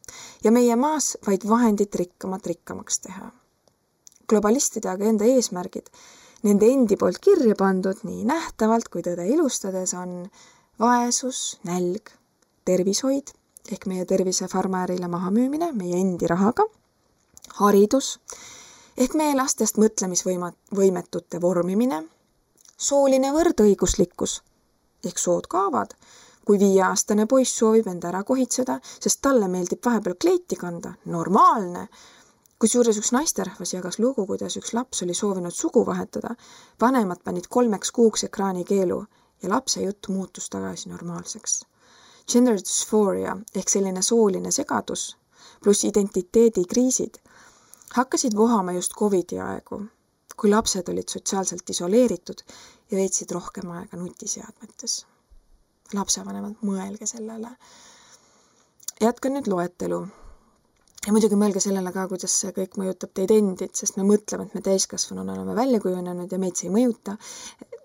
ja meie maas vaid vahendid rikkamaks teha. Globalistide agenda eesmärgid, nende endi poolt kirja pandud nii nähtavalt kui tõde ilustades on vaesus, nälg, tervishoid ehk meie tervise farmäärile mahamüümine meie endi rahaga, haridus ehk meie lastest mõtlemisvõimetute vormimine, sooline võrdõiguslikkus ehk sood kaavad Kui 5-aastane poiss soovib enda ära kohitseda, sest talle meeldib vahepeal kleiti kanda, normaalne. Kusjuures üks naisterahvas jagas lugu, kuidas üks laps oli soovinud sugu vahetada, vanemad panid 3 kuuks ekraani keelu ja lapse jutt muutus tagasi normaalseks. Gender dysphoria ehk selline sooline segadus pluss identiteedikriisid hakkasid vohama just Covidi aegu, kui lapsed olid sotsiaalselt isoleeritud ja veetsid rohkem aega nutiseadmetes. Lapsevanemad, mõelge sellele. Jätkan nüüd loetelu. Ja muidugi mõelge sellele ka, kuidas see kõik mõjutab teid endid, sest me mõtleme, et me täiskasvanuna oleme välja kujunenud ja meid see ei mõjuta.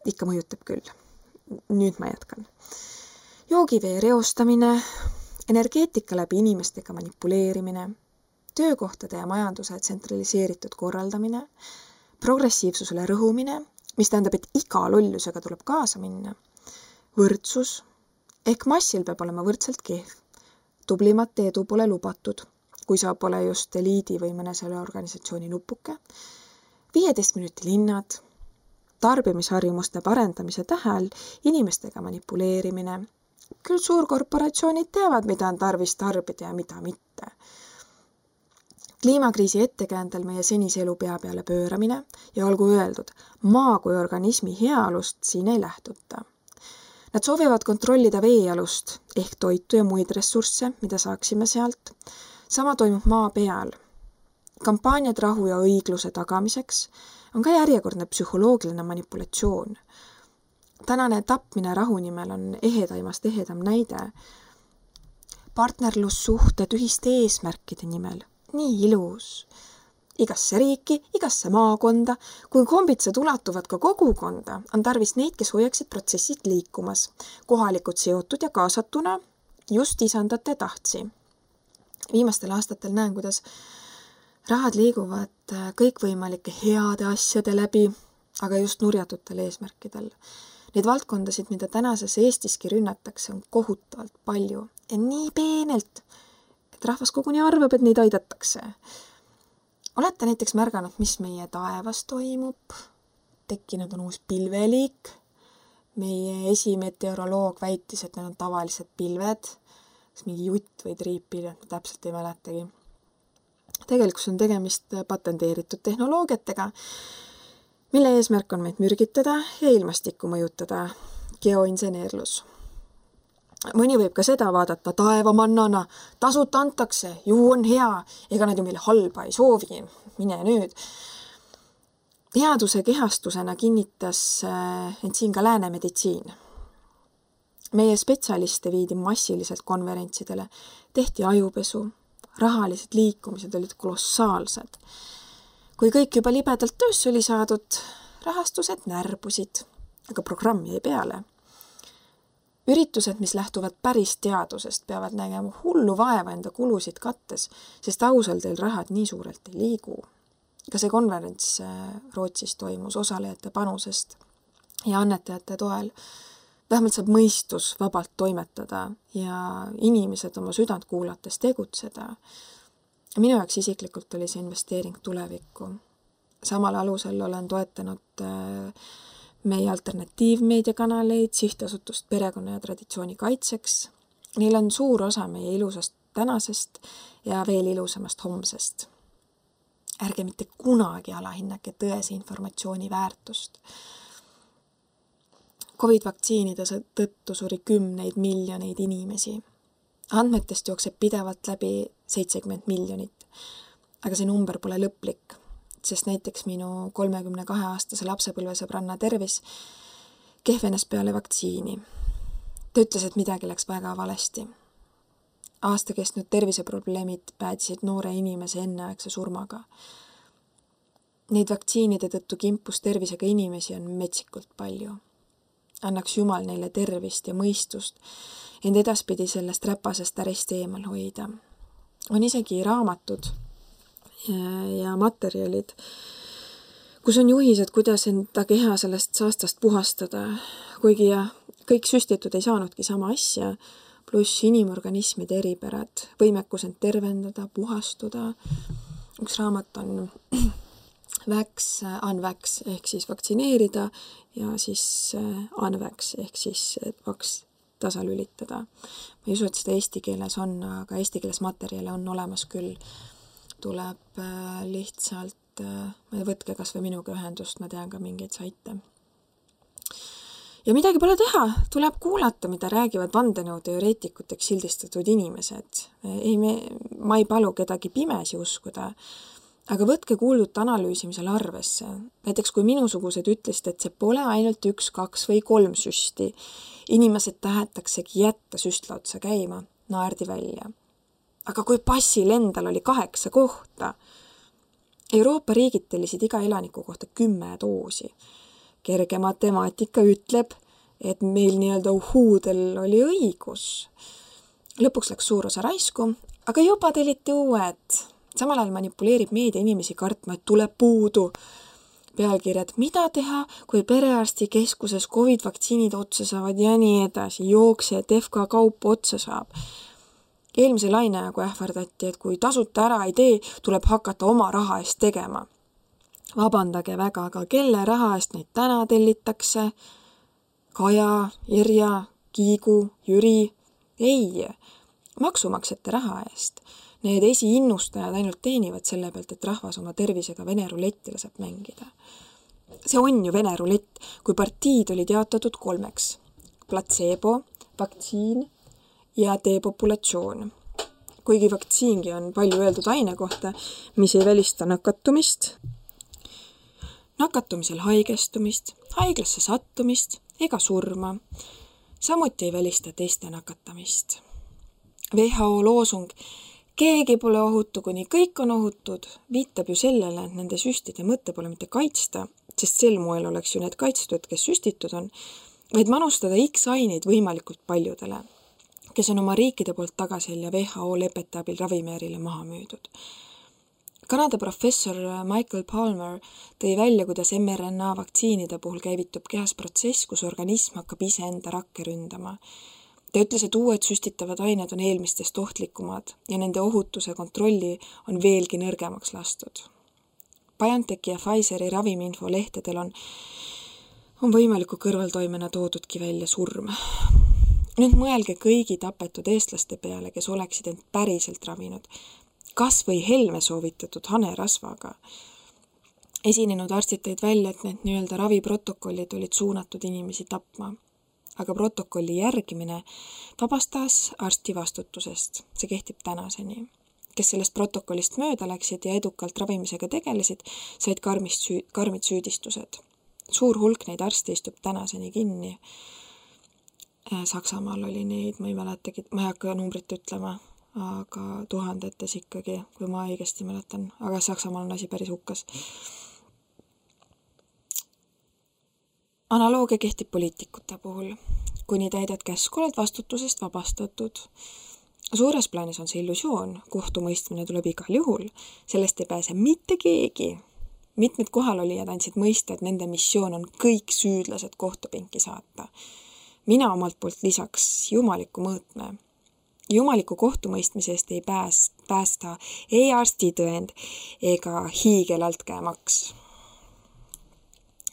Ikka mõjutab küll. Nüüd ma jätkan. Joogivee reostamine, energeetika läbi inimestega manipuleerimine, töökohtade ja majanduse tsentraliseeritud korraldamine, progressiivsusele rõhumine, mis tähendab, et iga lollusega tuleb kaasa minna, võrdsus, ehk massil peab olema võrdselt kehv. Tublimat edu pole lubatud, kui sa pole just eliidi või mõne selle organisatsiooni nupuke. 15 minuti linnad, tarbimisharjumuste parendamise tähel, inimestega manipuleerimine. Küll suurkorporatsioonid teavad, mida on tarvis tarbida ja mida mitte. Kliimakriisi ettekäändel meie senise elu pea peale pööramine ja olgu öeldud, maa kui organismi heaolust siin ei lähtuta. Nad soovivad kontrollida veealust ehk toitu ja muid ressursse, mida saaksime sealt. Sama toimub maa peal. Kampaaniad rahu ja õigluse tagamiseks on ka järjekordne psühholoogiline manipulatsioon. Tänane tapmine rahu nimel on ehedaimast ehedam näide. Partnerlussuhted ühiste eesmärkide nimel. Nii ilus. Igasse riiki, igasse maakonda, kui kombitsed ulatuvad ka kogukonda, on tarvis neid, kes hoiaksid protsessid liikumas, kohalikud seotud ja kaasatuna just isandate tahtsi. Viimastel aastatel näen, kuidas rahad liiguvad kõikvõimalike heade asjade läbi, aga just nurjatutel eesmärkidel. Neid valdkondasid, mida tänases Eestiski rünnatakse, on kohutavalt palju ja nii peenelt, et rahvas koguni arvab, et neid aidatakse. Olete näiteks märganud, mis meie taevas toimub? Tekkinud on uus pilveliik. Meie esimeteoroloog väitis, et need on tavalised pilved. Kas mingi jutt või triippilved, ma täpselt ei mäletagi. Tegelikult on tegemist patenteeritud tehnoloogiatega, mille eesmärk on meid mürgitada ja ilmastikku mõjutada. Geoinseneerlus. Mõni võib ka seda vaadata taevamannana, tasuta antakse, ju on hea, ega nad ju meile halba ei soovi, mine nüüd. Headuse kehastusena kinnitas end siin ka lääne meditsiin. Meie spetsialiste viidi massiliselt konverentsidele, tehti ajupesu, rahalised liikumised olid kolossaalsed. Kui kõik juba libedalt töösse oli saadud, rahastused närbusid, aga programm jäi peale. Üritused, mis lähtuvad päris teadusest, peavad nägema hullu vaeva enda kulusid kattes, sest ausal teil rahad nii suurelt ei liigu. Ka see konverents Rootsis toimus osalejate panusest ja annetajate toel. Vähemalt saab mõistus vabalt toimetada ja inimesed oma südant kuulates tegutseda. Minu jaoks isiklikult oli see investeering tulevikku. Samal alusel olen toetanud meie alternatiivmeediakanaleid, sihtasutust perekonna ja traditsiooni kaitseks. Neil on suur osa meie ilusast tänasest ja veel ilusamast homsest. Ärge mitte kunagi alahinnake tõese informatsiooni väärtust. COVID-vaktsiinide tõttu suri 10 miljoneid inimesi. Andmetest jookseb pidevalt läbi 70 miljonit, aga see number pole lõplik. Sest näiteks minu 32-aastase lapsepõlvesõbranna tervis kehvenes peale vaktsiini. Ta ütles, et midagi läks väga valesti. Aasta kestnud terviseprobleemid päädisid noore inimese enneaegse surmaga. Neid vaktsiinide tõttu kimpus tervisega inimesi on metsikult palju. Annaks Jumal neile tervist ja mõistust, ent edaspidi sellest räpasest ärist eemal hoida. On isegi raamatud ja materjalid, kus on juhised, kuidas enda keha sellest saastast puhastada, kuigi kõik süstitud ei saanudki sama asja, pluss inimorganismide eripärad, võimekus end tervendada, puhastuda. Üks raamat on Unvax ehk siis vaktsineerida ja siis Unvax ehk siis tasalülitada. Ma ei usu, et seda eesti keeles on, aga eesti keeles materjale on olemas küll. Tuleb lihtsalt, võtke kas või minuga ühendust, ma tean ka mingeid saite. Ja midagi pole teha, tuleb kuulata, mida räägivad vandenõuteoreetikuteks sildistatud inimesed. Ma ei palu kedagi pimesi uskuda, aga võtke kuuldut analüüsimisel arvesse. Näiteks kui minusugused ütlesid, et see pole ainult 1, 2 või 3 süsti, inimesed tahetaksegi jätta süstla otsa käima, naerdi välja. Aga kui passil endal oli 8 kohta, Euroopa riigid tellisid iga elaniku kohta 10 doosi. Kerge matemaatika ütleb, et meil nii-öelda uhuudel oli õigus. Lõpuks läks suur osa raisku, aga juba telliti uued. Samal ajal manipuleerib meedia inimesi kartma, et tuleb puudu. Pealkirjad, mida teha, kui perearsti keskuses COVID-vaktsiinid otsa saavad ja nii edasi, jookse, et FK kaup otsa saab. Eelmise laine aegu ähvardati, et kui tasuta ära ei tee, tuleb hakata oma raha eest tegema. Vabandage väga, aga kelle raha eest neid täna tellitakse? Kaja, Irja, Kiigu, Jüri? Ei, maksumaksjate raha eest. Need esiinnustajad ainult teenivad selle pealt, et rahvas oma tervisega Vene ruletti laseb mängida. See on ju Vene rulett, kui partiid olid jaotatud 3. Placebo, vaktsiin ja depopulatsioon. Kuigi vaktsiingi on palju öeldud aine kohta, mis ei välista nakatumist, nakatumisel haigestumist, haiglasse sattumist ega surma. Samuti ei välista teiste nakatamist. WHO loosung keegi pole ohutu, kuni kõik on ohutud, viitab ju sellele, et nende süstide mõte pole mitte kaitsta, sest sel moel oleks ju need kaitstud, kes süstitud on, vaid manustada X aineid võimalikult paljudele, kes on oma riikide poolt tagasil ja WHO lepete abil ravimäärile maha müüdud. Kanada professor Michael Palmer tõi välja, kuidas mRNA vaktsiinide puhul käivitub kehas protsess, kus organism hakkab ise enda rakke ründama. Ta ütles, et uued süstitavad ained on eelmistest ohtlikumad ja nende ohutuse kontrolli on veelgi nõrgemaks lastud. BioNTechi ja Pfizeri ravimiinfo lehtedel on võimaliku kõrvaltoimena toodudki välja surm. Nüüd mõelge kõigi tapetud eestlaste peale, kes oleksid end päriselt ravinud, kas või Helme soovitatud hanerasvaga. Esinenud arstid tõid välja, et need nii-öelda raviprotokollid olid suunatud inimesi tapma. Aga protokolli järgimine vabastas arsti vastutusest. See kehtib tänaseni. Kes sellest protokollist mööda läksid ja edukalt ravimisega tegelesid, said karmid süüdistused. Suur hulk neid arste istub tänaseni kinni. Saksamaal oli neid, ma ei mäletagi, ma ei hakka numbrit ütlema, aga tuhandetes ikkagi, kui ma õigesti mäletan. Aga Saksamaal on asi päris hukkas. Analoogia kehtib poliitikute puhul. Kuni täidad käsku, oled vastutusest vabastatud. Suures plaanis on see illusioon. Kohtumõistmine tuleb igal juhul. Sellest ei pääse mitte keegi. Mitmed kohalolijad andsid mõista, et nende missioon on kõik süüdlased kohtupinki saata. Mina omalt poolt lisaks jumaliku mõõtme. Jumaliku kohtumõistmise eest ei päästa ei arstitõend ega hiigelaltkäemaks.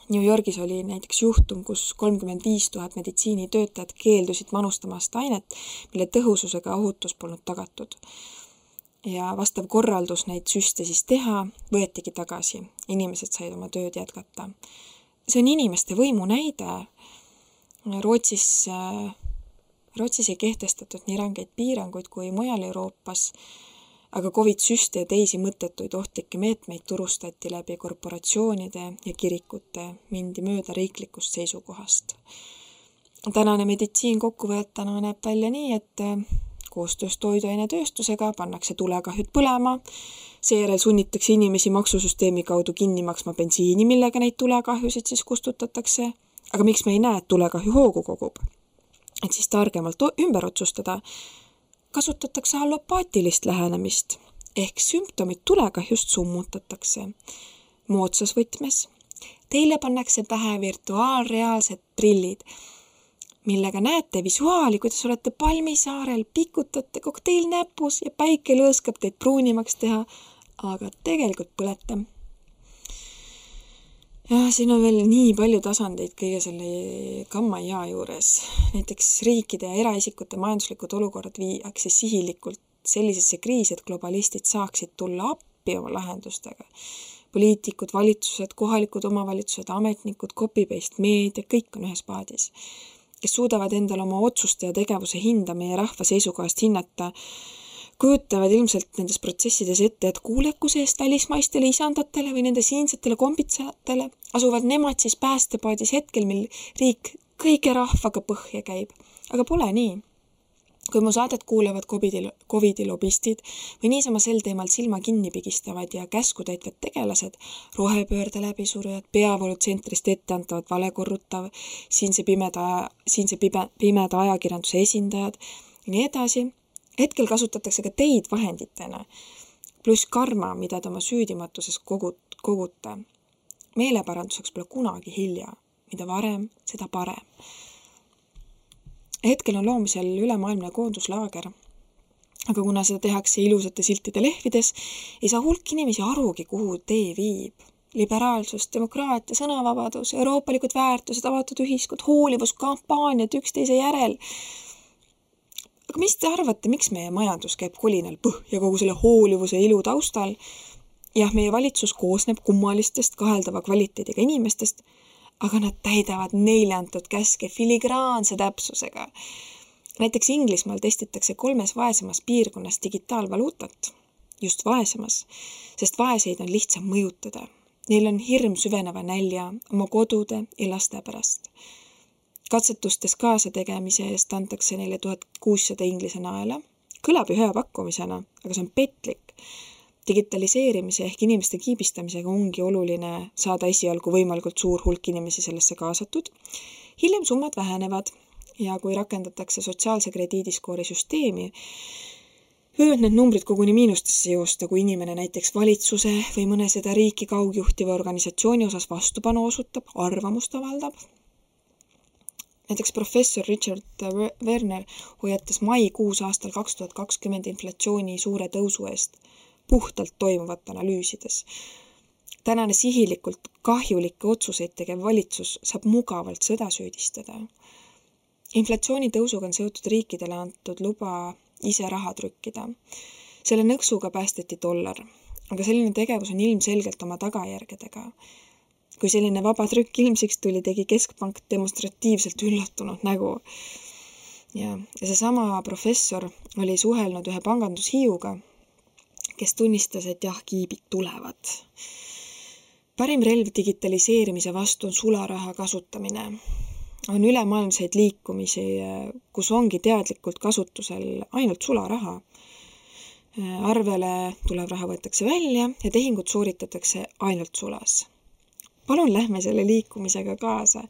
New Yorgis oli näiteks juhtum, kus 35 000 meditsiinitöötajad keeldusid manustamast ainet, mille tõhususega ohutus polnud tagatud. Ja vastav korraldus neid süste siis teha võetigi tagasi. Inimesed said oma tööd jätkata. See on inimeste võimu näide. Rootsis ei kehtestatud nii rangeid piiranguid kui mujal Euroopas, aga COVID-süste ja teisi mõttetuid ohtlikke meetmeid turustati läbi korporatsioonide ja kirikute, mindi mööda riiklikust seisukohast. Tänane meditsiin kokkuvõetana näeb välja nii, et koostöös toiduainetööstusega pannakse tulekahjud põlema, seejärel sunnitakse inimesi maksusüsteemi kaudu kinni maksma bensiini, millega neid tulekahjusid siis kustutatakse. Aga miks me ei näe, et tulekahju hoogu kogub? Et siis targemalt ümber otsustada, kasutatakse allopaatilist lähenemist, ehk sümptomid tulekahjust summutatakse. Moodsas võtmes. Teile pannakse pähe virtuaalreaalsed prillid, millega näete visuaali, kuidas olete Palmisaarel, pikutate kokteil näpus ja päike lõõskab teid pruunimaks teha, aga tegelikult põlete. Ja siin on veel nii palju tasandeid kõige selle gamma ja juures. Näiteks riikide ja eraisikute majanduslikud olukorrad viiakse sihilikult sellisesse kriisi, et globalistid saaksid tulla appi oma lahendustega. Poliitikud, valitsused, kohalikud omavalitsused, ametnikud, copy-paste meedia, kõik on ühes paadis, kes suudavad endale oma otsuste ja tegevuse hinda meie rahva seisukohast hinnata, kujutavad ilmselt nendes protsessides ette, et kuulekuse eest välismaistele isandatele või nende siinsetele kombitsatele asuvad nemad siis päästepaadis hetkel, mil riik kõige rahvaga põhja käib. Aga pole nii. Kui mu saadet kuulevad COVID-i lobistid või niisama sel teemal silma kinni pigistavad ja käskutäitvad tegelased, rohepöörde läbisurujad, peavoolutsentrist etteantavad valekorrutav, siinse pimeda ajakirjanduse esindajad ja nii edasi, hetkel kasutatakse ka teid vahenditena, pluss karma, mida te oma süüdimatuses kogute. Meeleparanduseks pole kunagi hilja, mida varem, seda parem. Hetkel on loomisel ülemaailmne koonduslaager, aga kuna seda tehakse ilusate siltide lehvides, ei saa hulk inimesi arugi, kuhu tee viib. Liberaalsus, demokraatia, sõnavabadus, euroopalikud väärtused, avatud ühiskond, hoolivuskampaaniad üksteise järel. Aga mis te arvate, miks meie majandus käib kolinal põhja kogu selle hoolivuse ilu taustal? Jah, meie valitsus koosneb kummalistest kaheldava kvaliteediga inimestest, aga nad täidavad neile antud käske filigraanse täpsusega. Näiteks Inglismaal testitakse 3 vaesemas piirkonnas digitaalvaluutat, just vaesemas, sest vaeseid on lihtsam mõjutada. Neil on hirm süveneva nälja oma kodude ja laste pärast. Katsetustes kaasategemise eest antakse neile 1600 inglise naela. Kõlab ju hea pakkumisena, aga see on petlik. Digitaliseerimise ehk inimeste kiibistamisega ongi oluline saada esialgu võimalikult suur hulk inimesi sellesse kaasatud. Hiljem summad vähenevad ja kui rakendatakse sotsiaalse krediidiskoori süsteemi, võivad need numbrid koguni miinustesse joosta, kui inimene näiteks valitsuse või mõne seda riiki kaugjuhtiva organisatsiooni osas vastupanu osutab, arvamust avaldab. Näiteks professor Richard Werner hoiatas maikuus aastal 2020 inflatsiooni suure tõusu eest puhtalt toimuvat analüüsides. Tänane sihilikult kahjulikke otsuseid tegev valitsus saab mugavalt sõda süüdistada. Inflatsiooni tõusuga on seotud riikidele antud luba ise raha trükkida. Selle nõksuga päästeti $, aga selline tegevus on ilmselgelt oma tagajärgedega. Kui selline vaba trükk ilmsiks tuli, tegi keskpank demonstratiivselt üllatunud nägu. Ja see sama professor oli suhelnud ühe pangandushiiuga, kes tunnistas, et jah, kiibid tulevad. Parim relv digitaliseerimise vastu on sularaha kasutamine. On ülemaailmseid liikumisi, kus ongi teadlikult kasutusel ainult sularaha. Arvele tulev raha võetakse välja ja tehingud sooritatakse ainult sulas. Palun lähme selle liikumisega kaasa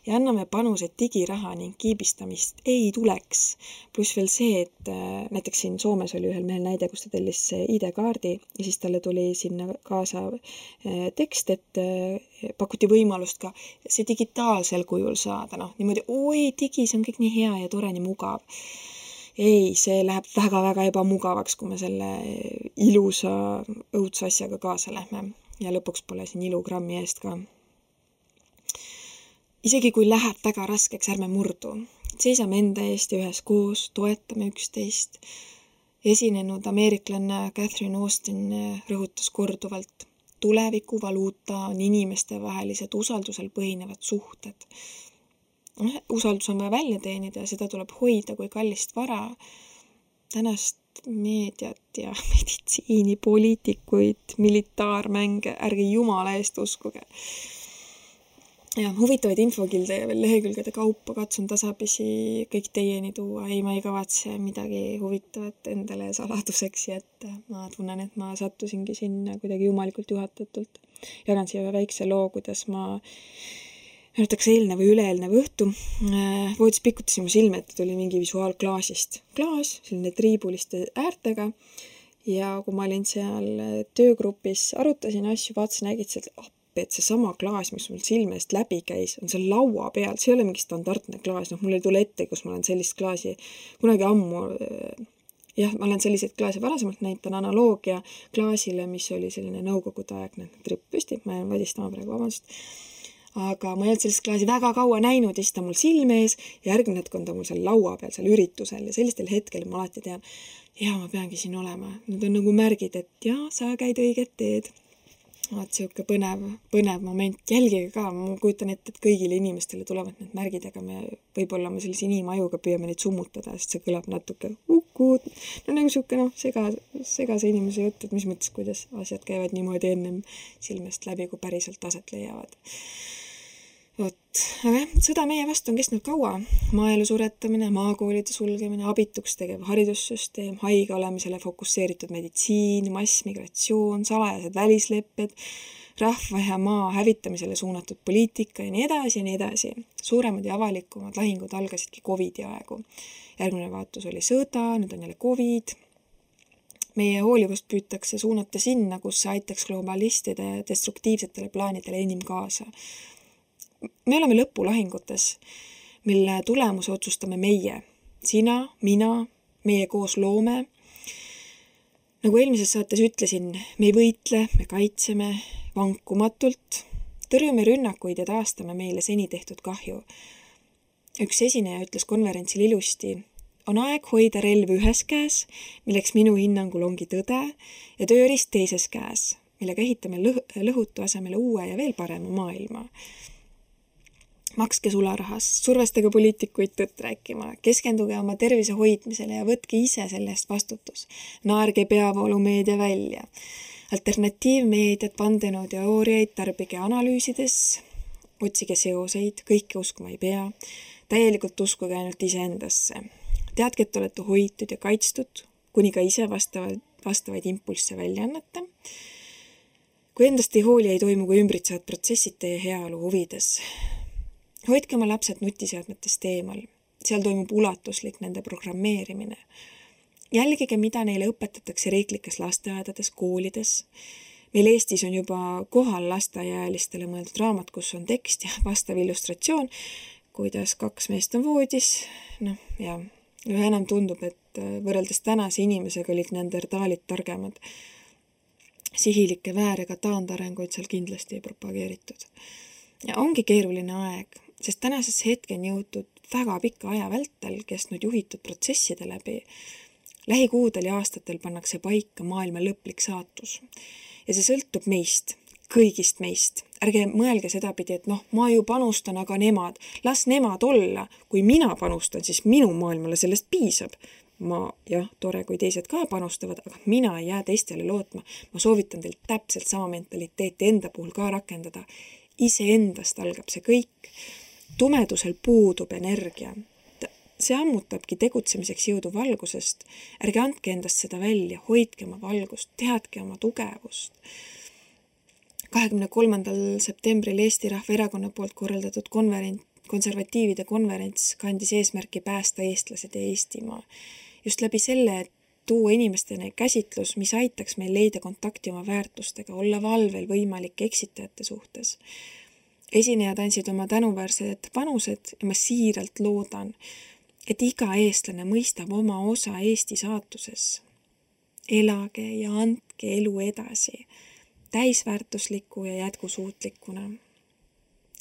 ja anname panuse, et digiraha ning kiibistamist ei tuleks. Pluss veel see, et näiteks siin Soomes oli ühel mehel näide, kus ta tellis ID-kaardi ja siis talle tuli sinna kaasa tekst, et pakuti võimalust ka see digitaalsel kujul saada. Niimoodi, oi digi, see on kõik nii hea ja tore, nii mugav. Ei, see läheb väga-väga ebamugavaks, kui me selle ilusa õudse asjaga kaasa lähme. Ja lõpuks pole siin ilugrammi eest ka. Isegi kui läheb väga raskeks, ärme murdu. Seisame enda eest ja ühes koos, toetame üksteist. Esinenud ameeriklanna Catherine Austin rõhutas korduvalt. Tuleviku valuuta on inimeste vahelised usaldusel põhinevad suhted. Usaldus on vaja välja teenida ja seda tuleb hoida kui kallist vara. Tänast meediat ja meditsiini, poliitikuid, militaarmänge, ärge jumala eest uskuge. Ja huvitavaid infokilde ja veel lehekülgede kaupa katsun tasapisi kõik teieni tuua. Ei, ma ei kavatse midagi huvitavat endale saladuseks jätta. Ma tunnen, et ma sattusingi sinna kuidagi jumalikult juhatatult. Jagan siia väikse loo, kuidas ma Näiteks eilne või üleeelne õhtu voodis pikutasin mu silme, et tuli mingi visuaalklaasist. Klaas, selline triibuliste äärtega ja kui ma olin seal töögrupis, arutasin asju, vaatasin ägitselt appi, et see sama klaas, mis mul silme eest läbi käis, on seal laua peal. See ei ole mingi standardne klaas. Mul ei tule ette, kus ma olen sellist klaasi kunagi ammu jah, ma olen selliseid klaase varasemalt näitan analoogia klaasile, mis oli selline nõukogudeaegne tripp püsti, ma jään vadistama praegu, vabandust. Aga ma ei olnud sellist klaasi väga kaua näinud ja siis ta mul silme ees ja järgmine hetk on ta mul seal laua peal, seal üritusel ja sellistel hetkel ma alati tean, ma peangi siin olema. Need on nagu märgid, et sa käid õiget teed. Vaat siuke põnev moment. Jälgige ka, ma kujutan ette, et kõigile inimestele tulevad need märgid, aga võib-olla me sellise inimajuga püüame neid summutada, sest see kõlab natuke ukud. No nagu siuke segase inimese jutt, et mis mõttes, kuidas asjad käivad niimoodi ennem silmest läbi, kui päriselt aset leiavad. Aga sõda meie vastu on kestnud kaua. Maaelu suretamine, maakoolide sulgemine, abituks tegev haridussüsteem, haige olemisele fokusseeritud meditsiin, massmigratsioon, salajased välislepped, rahva ja maa hävitamisele suunatud poliitika ja nii edasi ja nii edasi. Suuremad ja avalikumad lahingud algasidki COVID-i aegu. Järgmine vaatus oli sõda, nüüd on jälle COVID. Meie hoolivust püütakse suunata sinna, kus see aitaks globalistide destruktiivsetele plaanidele enim kaasa. Me oleme lõpulahingutes, mille tulemuse otsustame meie. Sina, mina, meie koos loome. Nagu eelmises saates ütlesin, me ei võitle, me kaitseme vankumatult, tõrjume rünnakuid ja taastame meile seni tehtud kahju. Üks esineja ütles konverentsil ilusti, on aeg hoida relv ühes käes, milleks minu hinnangul ongi tõde, ja tööriist teises käes, millega ehitame lõhutu asemele uue ja veel parema maailma. Makske sularahast, survestage poliitikuid tõtt rääkima, keskenduge oma tervise hoidmisele ja võtke ise selle eest vastutus. Naerge peavoolumeedia välja. Alternatiivmeediat, vandenõuteooriaid tarbige analüüsides, otsige seoseid, kõike uskuma ei pea. Täielikult uskuge ainult iseendasse. Teadke, et olete hoitud ja kaitstud, kuni ka ise vastavaid impulsse välja annate. Kui endast ei hooli, ei toimu kui ümbritsevad protsessid teie heaolu huvides. Hoidke oma lapsed nutiseadmetest eemal. Seal toimub ulatuslik nende programmeerimine. Jälgige, mida neile õpetatakse riiklikes lasteaedades, koolides. Meil Eestis on juba kohal lasteaiaealistele mõeldud raamat, kus on tekst ja vastav illustratsioon, kuidas 2 meest on voodis. Ja üha enam tundub, et võrreldes tänase inimesega olid neandertaalid targemad. Sihilikke väärega taandarenguid seal kindlasti ei propageeritud. Ja ongi keeruline aeg, sest tänasesse hetken jõutud väga pika aja vältel kestnud juhitud protsesside läbi. Lähikuudel ja aastatel pannakse paika maailma lõplik saatus. Ja see sõltub meist, kõigist meist. Ärge mõelge sedapidi, et ma ju panustan, aga nemad. Las nemad olla. Kui mina panustan, siis minu maailmale sellest piisab. Tore, kui teised ka panustavad, aga mina ei jää teistele lootma. Ma soovitan teil täpselt sama mentaliteeti enda puhul ka rakendada. Iseendast algab see kõik. Tumedusel puudub energia. See ammutabki tegutsemiseks jõudu valgusest. Ärge andke endast seda välja, hoidke oma valgust, teadke oma tugevust. 23. septembril Eesti Rahvaerakonna poolt korraldatud konservatiivide konverents kandis eesmärki päästa eestlased ja Eestimaa. Just läbi selle, et tuua inimestena käsitlus, mis aitaks meil leida kontakti oma väärtustega, olla valvel võimalik eksitajate suhtes. Esinejad andsid oma tänuväärsed panused ja ma siiralt loodan, et iga eestlane mõistab oma osa Eesti saatuses. Elage ja andke elu edasi, täisväärtusliku ja jätkusuutlikuna.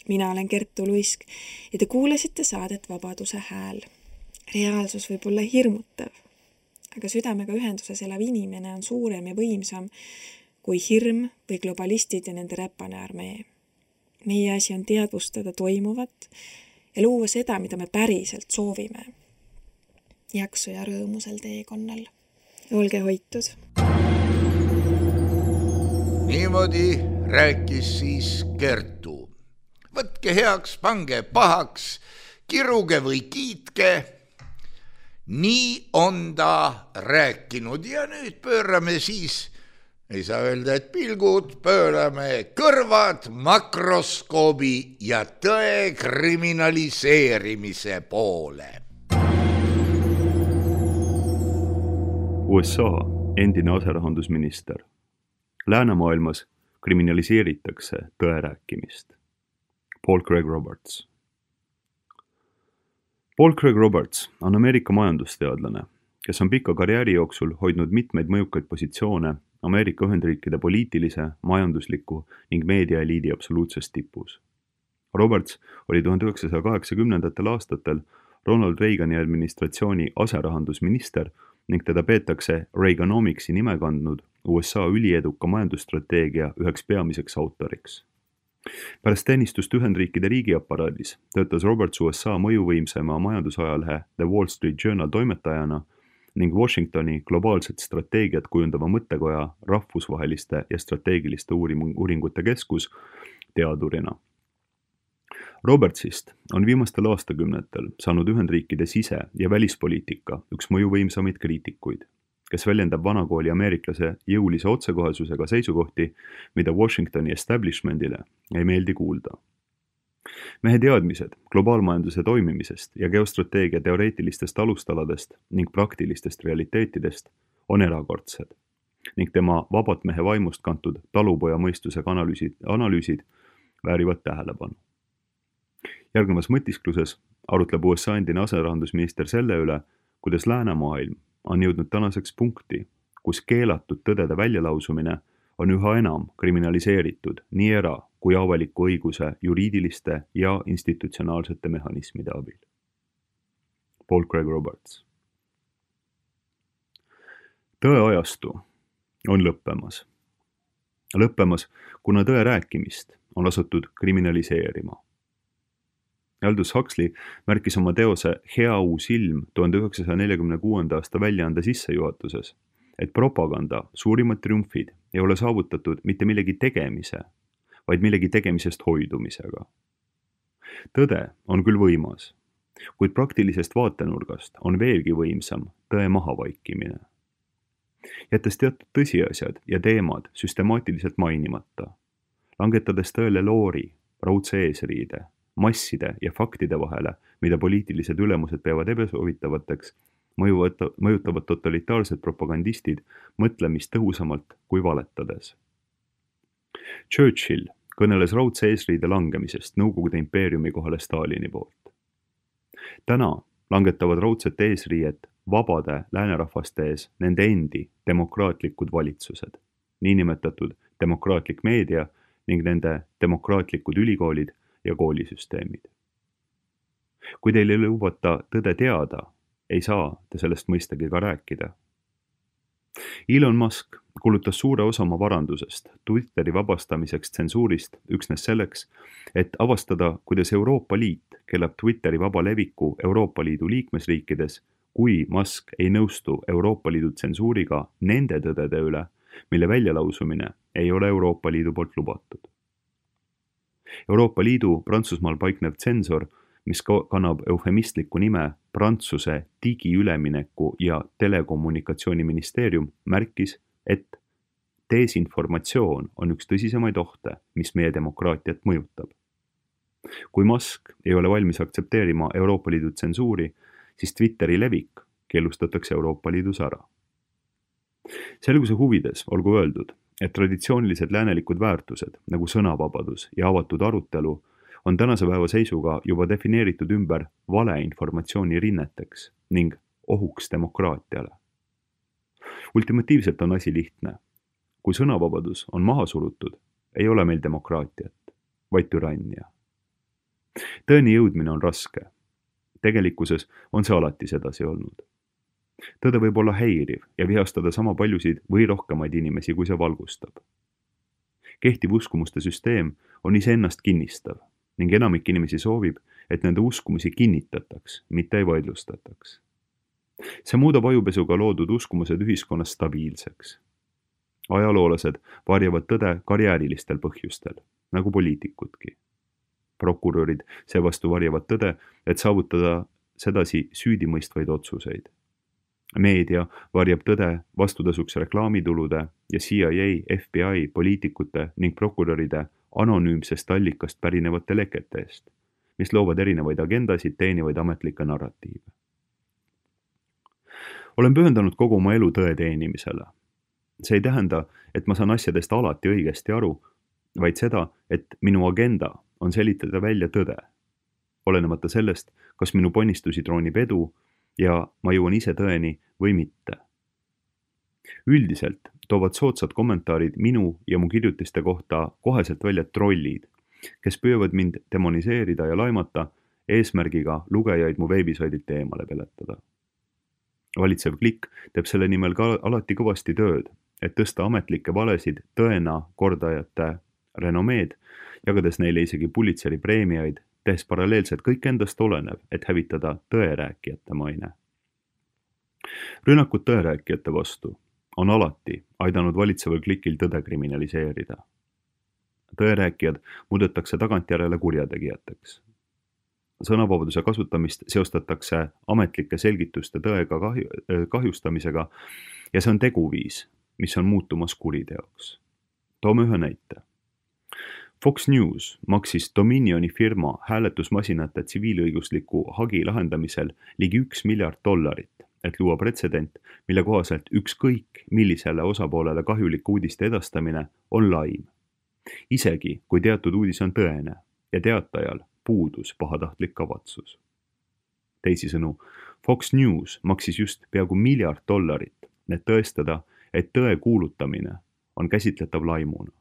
Mina olen Kertu Luisk ja te kuulasite saadet Vabaduse hääl. Reaalsus võib olla hirmutav, aga südamega ühenduses elav inimene on suurem ja võimsam kui hirm või globalistid ja nende räpane armee. Meie asi on teadvustada toimuvat ja luua seda, mida me päriselt soovime. Jaksu ja rõõmusel teekonnal. Olge hoitud. Niimoodi rääkis siis Kertu. Võtke heaks, pange pahaks, kiruge või kiitke. Nii on ta rääkinud ja nüüd pöörame siis, ei saa öelda, et pilgud, pöörame kõrvad makroskoobi ja tõe kriminaliseerimise poole. USA endine aserahandusminister. Läänemaailmas kriminaliseeritakse tõe rääkimist. Paul Craig Roberts. Paul Craig Roberts on Ameerika majandusteadlane, kes on pika karjääri jooksul hoidnud mitmeid mõjukaid positsioone Ameerika Ühendriikide poliitilise, majandusliku ning meediaeliidi absoluutses tipus. Roberts oli 1980. aastatel Ronald Reagani administratsiooni aserahandusminister ning teda peetakse Reaganomics'i nime kandnud USA ülieduka majandusstrateegia üheks peamiseks autoriks. Pärast teenistust Ühendriikide riigiaparaadis töötas Roberts USA mõjuvõimsema majandusajalehe The Wall Street Journal toimetajana ning Washingtoni globaalset strateegiat kujundava mõttekoja rahvusvaheliste ja strateegiliste uuringute keskus teadurina. Robertsist on viimastel aastakümnetel saanud Ühendriikide sise- ja välispoliitika üks mõjuvõimsamaid kriitikuid, kes väljendab vanakooli ameeriklase jõulise otsekohesusega seisukohti, mida Washingtoni establishmentile ei meeldi kuulda. Mehe teadmised globaalmajanduse toimimisest ja geostrateegia teoreetilistest alustaladest ning praktilistest realiteetidest on erakordsed ning tema vabalt mehe vaimust kantud talupoja mõistusega analüüsid väärivad tähelepanu. Järgnevas mõtiskluses arutleb USA endine aserahandusminister selle üle, kuidas läänemaailm on jõudnud tänaseks punkti, kus keelatud tõdede väljalausumine on üha enam kriminaliseeritud nii era- kui avaliku õiguse juriidiliste ja institutsionaalsete mehhanismide abil. Paul Craig Roberts. Tõeajastu on lõppemas. Lõppemas, kuna tõe rääkimist on asutud kriminaliseerima. Aldous Huxley märkis oma teose Hea uus ilm 1946. aasta väljaande sissejuhatuses, et propaganda suurimad triumfid ei ole saavutatud mitte millegi tegemise, vaid millegi tegemisest hoidumisega. Tõde on küll võimas, kuid praktilisest vaatenurgast on veelgi võimsam tõe mahavaikimine. Jättes teatud tõsiasjad ja teemad süstemaatiliselt mainimata, langetades tõele loori, raudse eesriide, masside ja faktide vahele, mida poliitilised ülemused peavad ebasoovitavateks, mõjutavad totalitaarsed propagandistid mõtlemist tõhusamalt kui valetades. Churchill kõneles raudse eesriide langemisest Nõukogude impeeriumi kohale Stalini poolt. Täna langetavad raudset eesriiet vabade läänerahvaste ees nende endi demokraatlikud valitsused, niinimetatud demokraatlik meedia ning nende demokraatlikud ülikoolid ja koolisüsteemid. Kui teil ei lubata tõde teada, ei saa te sellest mõistagi ka rääkida. Elon Musk kulutas suure osa oma varandusest Twitteri vabastamiseks tsensuurist üksnes selleks, et avastada, kuidas Euroopa Liit keelab Twitteri vaba leviku Euroopa Liidu liikmesriikides, kui Musk ei nõustu Euroopa Liidu tsensuuriga nende tõdede üle, mille väljalausumine ei ole Euroopa Liidu poolt lubatud. Euroopa Liidu Prantsusmaal paiknev tsensor, mis kannab eufemistliku nime Prantsuse digiülemineku ja telekommunikatsiooniministeerium, märkis, et desinformatsioon on üks tõsisemaid ohte, mis meie demokraatiat mõjutab. Kui Musk ei ole valmis aktsepteerima Euroopa Liidu tsensuuri, siis Twitteri levik keelustatakse Euroopa Liidus ära. Selguse huvides olgu öeldud, et traditsioonilised läänelikud väärtused nagu sõnavabadus ja avatud arutelu on tänase päeva seisuga juba defineeritud ümber valeinformatsiooni rinneteks ning ohuks demokraatiale. Ultimatiivselt on asi lihtne. Kui sõnavabadus on maha surutud, ei ole meil demokraatiat, vaid türannia. Tõeni jõudmine on raske. Tegelikkuses on see alati sedasi olnud. Tõde võib olla häiriv ja vihastada sama paljusid või rohkemaid inimesi, kui see valgustab. Kehtiv uskumuste süsteem on iseennast kinnistav ning enamik inimesi soovib, et nende uskumusi kinnitataks, mitte ei vaidlustataks. See muudab ajupesuga loodud uskumused ühiskonnas stabiilseks. Ajaloolased varjavad tõde karjäärilistel põhjustel, nagu poliitikudki. Prokurörid seevastu varjavad tõde, et saavutada sedasi süüdimõistvaid otsuseid. Meedia varjab tõde vastutasuks reklaamitulude ja CIA, FBI, poliitikute ning prokuröride anonüümsest allikast pärinevate lekete eest, mis loovad erinevaid agendasid teenivaid ametlikke narratiive. Olen pühendanud kogu oma elu tõe teenimisele. See ei tähenda, et ma saan asjadest alati õigesti aru, vaid seda, et minu agenda on selitada välja tõde. Olenemata sellest, kas minu ponnistusi troonib edu ja ma jõuan ise tõeni või mitte. Üldiselt toovad soodsad kommentaarid minu ja mu kirjutiste kohta koheselt välja trollid, kes püüavad mind demoniseerida ja laimata eesmärgiga lugejaid mu veebisaidilt eemale peletada. Valitsev klikk teeb selle nimel ka alati kõvasti tööd, et tõsta ametlikke valesid tõena kordajate renomeed, jagades neile isegi Pulitzeri preemiaid, tehes paralleelselt kõik endast olenev, et hävitada tõerääkijate maine. Rünnakud tõerääkijate vastu on alati aidanud valitseval klikil tõde kriminaliseerida. Tõerääkijad muudetakse tagantjärele kurjategijateks. Sõnavabaduse kasutamist seostatakse ametlike selgituste tõega kahjustamisega ja see on teguviis, mis on muutumas kuriteoks. Toome ühe näite. Fox News maksis Dominioni firma hääletusmasinate tsiviilõigusliku hagi lahendamisel ligi $1 miljard, et luua pretsedent, mille kohaselt ükskõik millisele osapoolele kahjuliku uudiste edastamine on laim. Isegi kui teatud uudis on tõene ja teatajal puudus pahatahtlik kavatsus. Teisisõnu, Fox News maksis just peaaegu $1 miljard, et tõestada, et tõe kuulutamine on käsitletav laimuna.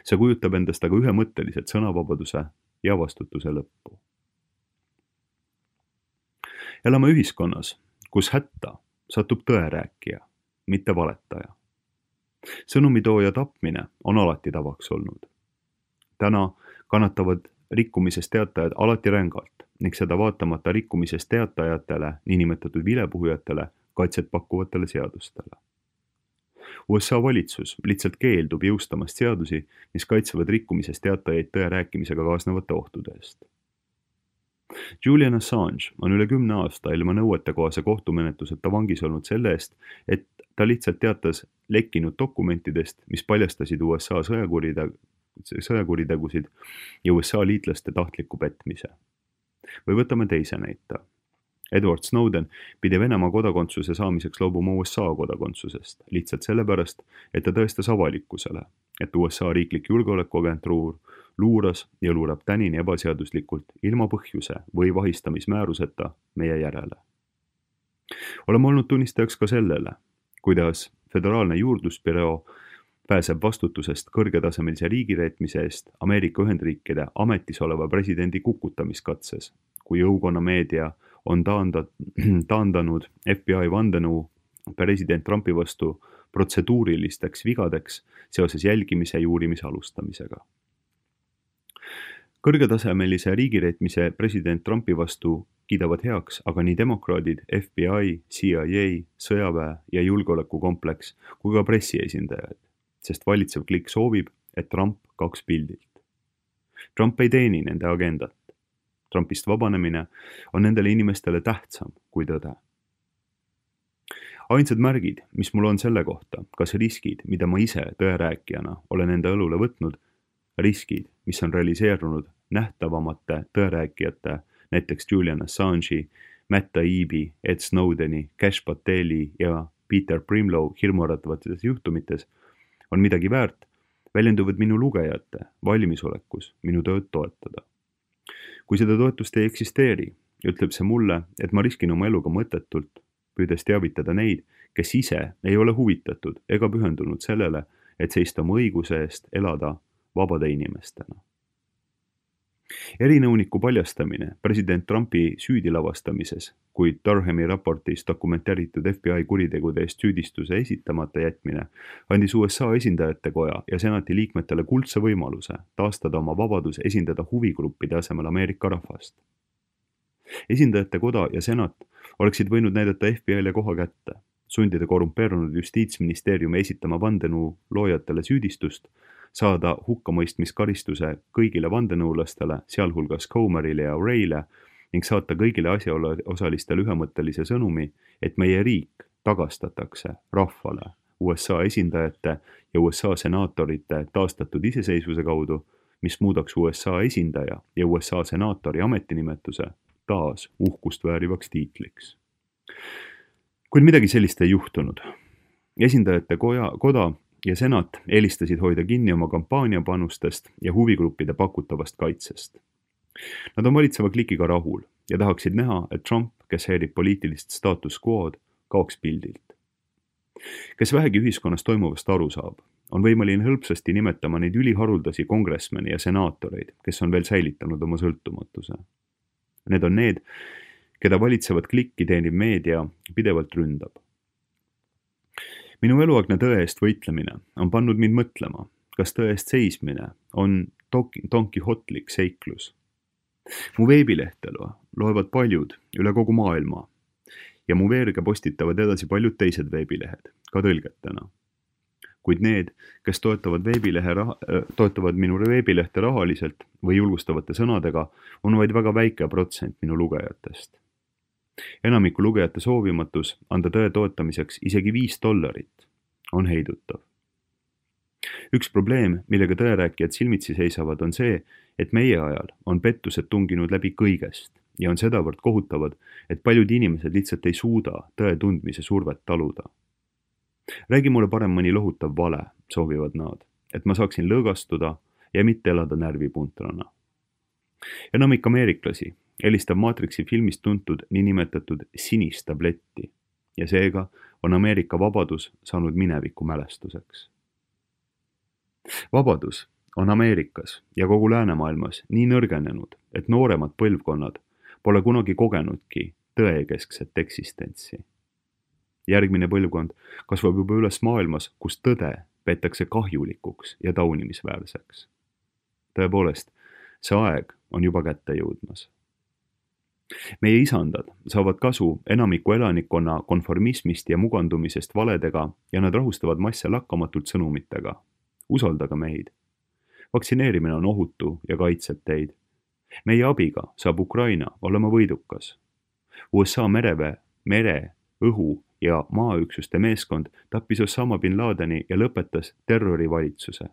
See kujutab endast aga ühemõtteliselt sõnavabaduse ja vastutuse lõppu. Elame ühiskonnas, kus hätta satub tõerääkija, mitte valetaja. Sõnumitooja tapmine on alati tavaks olnud. Täna kannatavad rikkumisest teatajad alati rängalt ning seda vaatamata rikkumisest teatajatele, niinimetatud vilepuhujatele, kaitset pakkuvatele seadustele. USA valitsus lihtsalt keeldub jõustamast seadusi, mis kaitsevad rikkumisest teatajaid tõe rääkimisega kaasnevate ohtude eest. Julian Assange on üle 10 aasta ilma nõuetekohase kohtumenetluseta vangis olnud selle eest, et ta lihtsalt teatas lekkinud dokumentidest, mis paljastasid USA sõjakuritegusid ja USA liitlaste tahtliku petmise. Või võtame teise näite. Edward Snowden pidi Venemaa kodakondsuse saamiseks loobuma USA kodakondsusest, lihtsalt sellepärast, et ta tõestas avalikkusele, et USA riiklik julgeolekuagentuur luuras ja luurab tänini ebaseaduslikult ilma põhjuse või vahistamismääruseta meie järele. Oleme olnud tunnistajaks ka sellele, kuidas Föderaalne juurdlusbüroo pääseb vastutusest kõrgetasemelise riigireetmise eest Ameerika Ühendriikide ametis oleva presidendi kukutamiskatses, kui jõukonnameedia on taandanud FBI vandenõu president Trumpi vastu protseduurilisteks vigadeks seoses jälgimise ja uurimise alustamisega. Kõrgetasemelise riigireetmise president Trumpi vastu kiidavad heaks aga nii demokraadid, FBI, CIA, sõjaväe ja julgeolekukompleks kui ka pressiesindajad, sest valitsev klikk soovib, et Trump kaks pildilt. Trump ei teeni nende agendat. Trumpist vabanemine on nendele inimestele tähtsam kui tõde. Ainsad märgid, mis mul on selle kohta, kas riskid, mida ma ise tõerääkijana olen enda õlule võtnud, riskid, mis on realiseerunud nähtavamate tõerääkijate, näiteks Julian Assange'i, Matt Taibbi, Ed Snowdeni, Cash Pateli ja Peter Primlow hirmuäratavates juhtumites, on midagi väärt, väljenduvad minu lugejate valmisolekus minu tööd toetada. Kui seda toetust ei eksisteeri, ütleb see mulle, et ma riskin oma eluga mõttetult, püüdes teavitada neid, kes ise ei ole huvitatud ega pühendunud sellele, et seista oma õiguse eest elada vabade inimestena. Erinõuniku paljastamine president Trumpi süüdi lavastamises, kuid Durhami raportis dokumenteeritud FBI kuritegude eest süüdistuse esitamata jätmine andis USA esindajate koja ja senati liikmetele kuldse võimaluse taastada oma vabadus esindada huvigruppide asemel Ameerika rahvast. Esindajate koda ja senat oleksid võinud näidata FBI-le koha kätte, sundida korrumpeerunud justiitsministeeriumi esitama vandenõu loojatele süüdistust, saada hukkamõistmiskaristuse kõigile vandenõulastele, sealhulgas Comerile ja Wray'le ning saata kõigile asjaosalistele ühemõttelise sõnumi, et meie riik tagastatakse rahvale USA esindajate ja USA senaatorite taastatud iseseisvuse kaudu, mis muudaks USA esindaja ja USA senaatori ametinimetuse taas uhkust väärivaks tiitliks. Kuid midagi sellist ei juhtunud. Esindajate koda ja senat eelistasid hoida kinni oma kampaaniapanustest ja huvigruppide pakutavast kaitsest. Nad on valitseva klikiga rahul ja tahaksid näha, et Trump kes häirib poliitilist status quo'd, kaoks pildilt. Kes vähegi ühiskonnas toimuvast aru saab, on võimeline hõlpsasti nimetama neid üliharuldasi kongressmeni ja senaatoreid, kes on veel säilitanud oma sõltumatuse. Need on need, keda valitsevat klikki teeniv meedia pidevalt ründab. Minu eluaegne tõe eest võitlemine on pannud mind mõtlema, kas tõe eest seismine on Don Quixotlik seiklus. Mu veebilehtelu loevad paljud üle kogu maailma ja mu veerga postitavad edasi paljud teised veebilehed, ka tõlgetena. Kuid need, kes toetavad minu veebilehte rahaliselt või julgustavate sõnadega, on vaid väga väike protsent minu lugejatest. Enamiku lugejate soovimatus anda tõe toetamiseks isegi $5 on heidutav. Üks probleem, millega tõerääkijad silmitsi seisavad, on see, et meie ajal on pettused tunginud läbi kõigest ja on sedavõrd kohutavad, et paljud inimesed lihtsalt ei suuda tõe tundmise survet taluda. Räägi mulle parem mõni lohutav vale, soovivad nad, et ma saaksin lõõgastuda ja mitte elada närvipuntrana. Enamik ameeriklasi helistab Matrixi filmist tuntud niinimetatud sinist tabletti ja seega on Ameerika vabadus saanud mineviku mälestuseks. Vabadus on Ameerikas ja kogu läänemaailmas nii nõrgenenud, et nooremad põlvkonnad pole kunagi kogenudki tõekeskset eksistentsi. Järgmine põlvkond kasvab juba üles maailmas, kus tõde peetakse kahjulikuks ja taunimisväärseks. Tõepoolest, see aeg on juba kätte jõudmas. Meie isandad saavad kasu enamiku elanikkonna konformismist ja mugandumisest valedega ja nad rahustavad masse lakkamatult sõnumitega. Usaldage meid. Vaktsineerimine on ohutu ja kaitseb teid. Meie abiga saab Ukraina olema võidukas. USA mere, õhu ja maaüksuste meeskond tappis Osama bin Ladeni ja lõpetas terrorivalitsuse.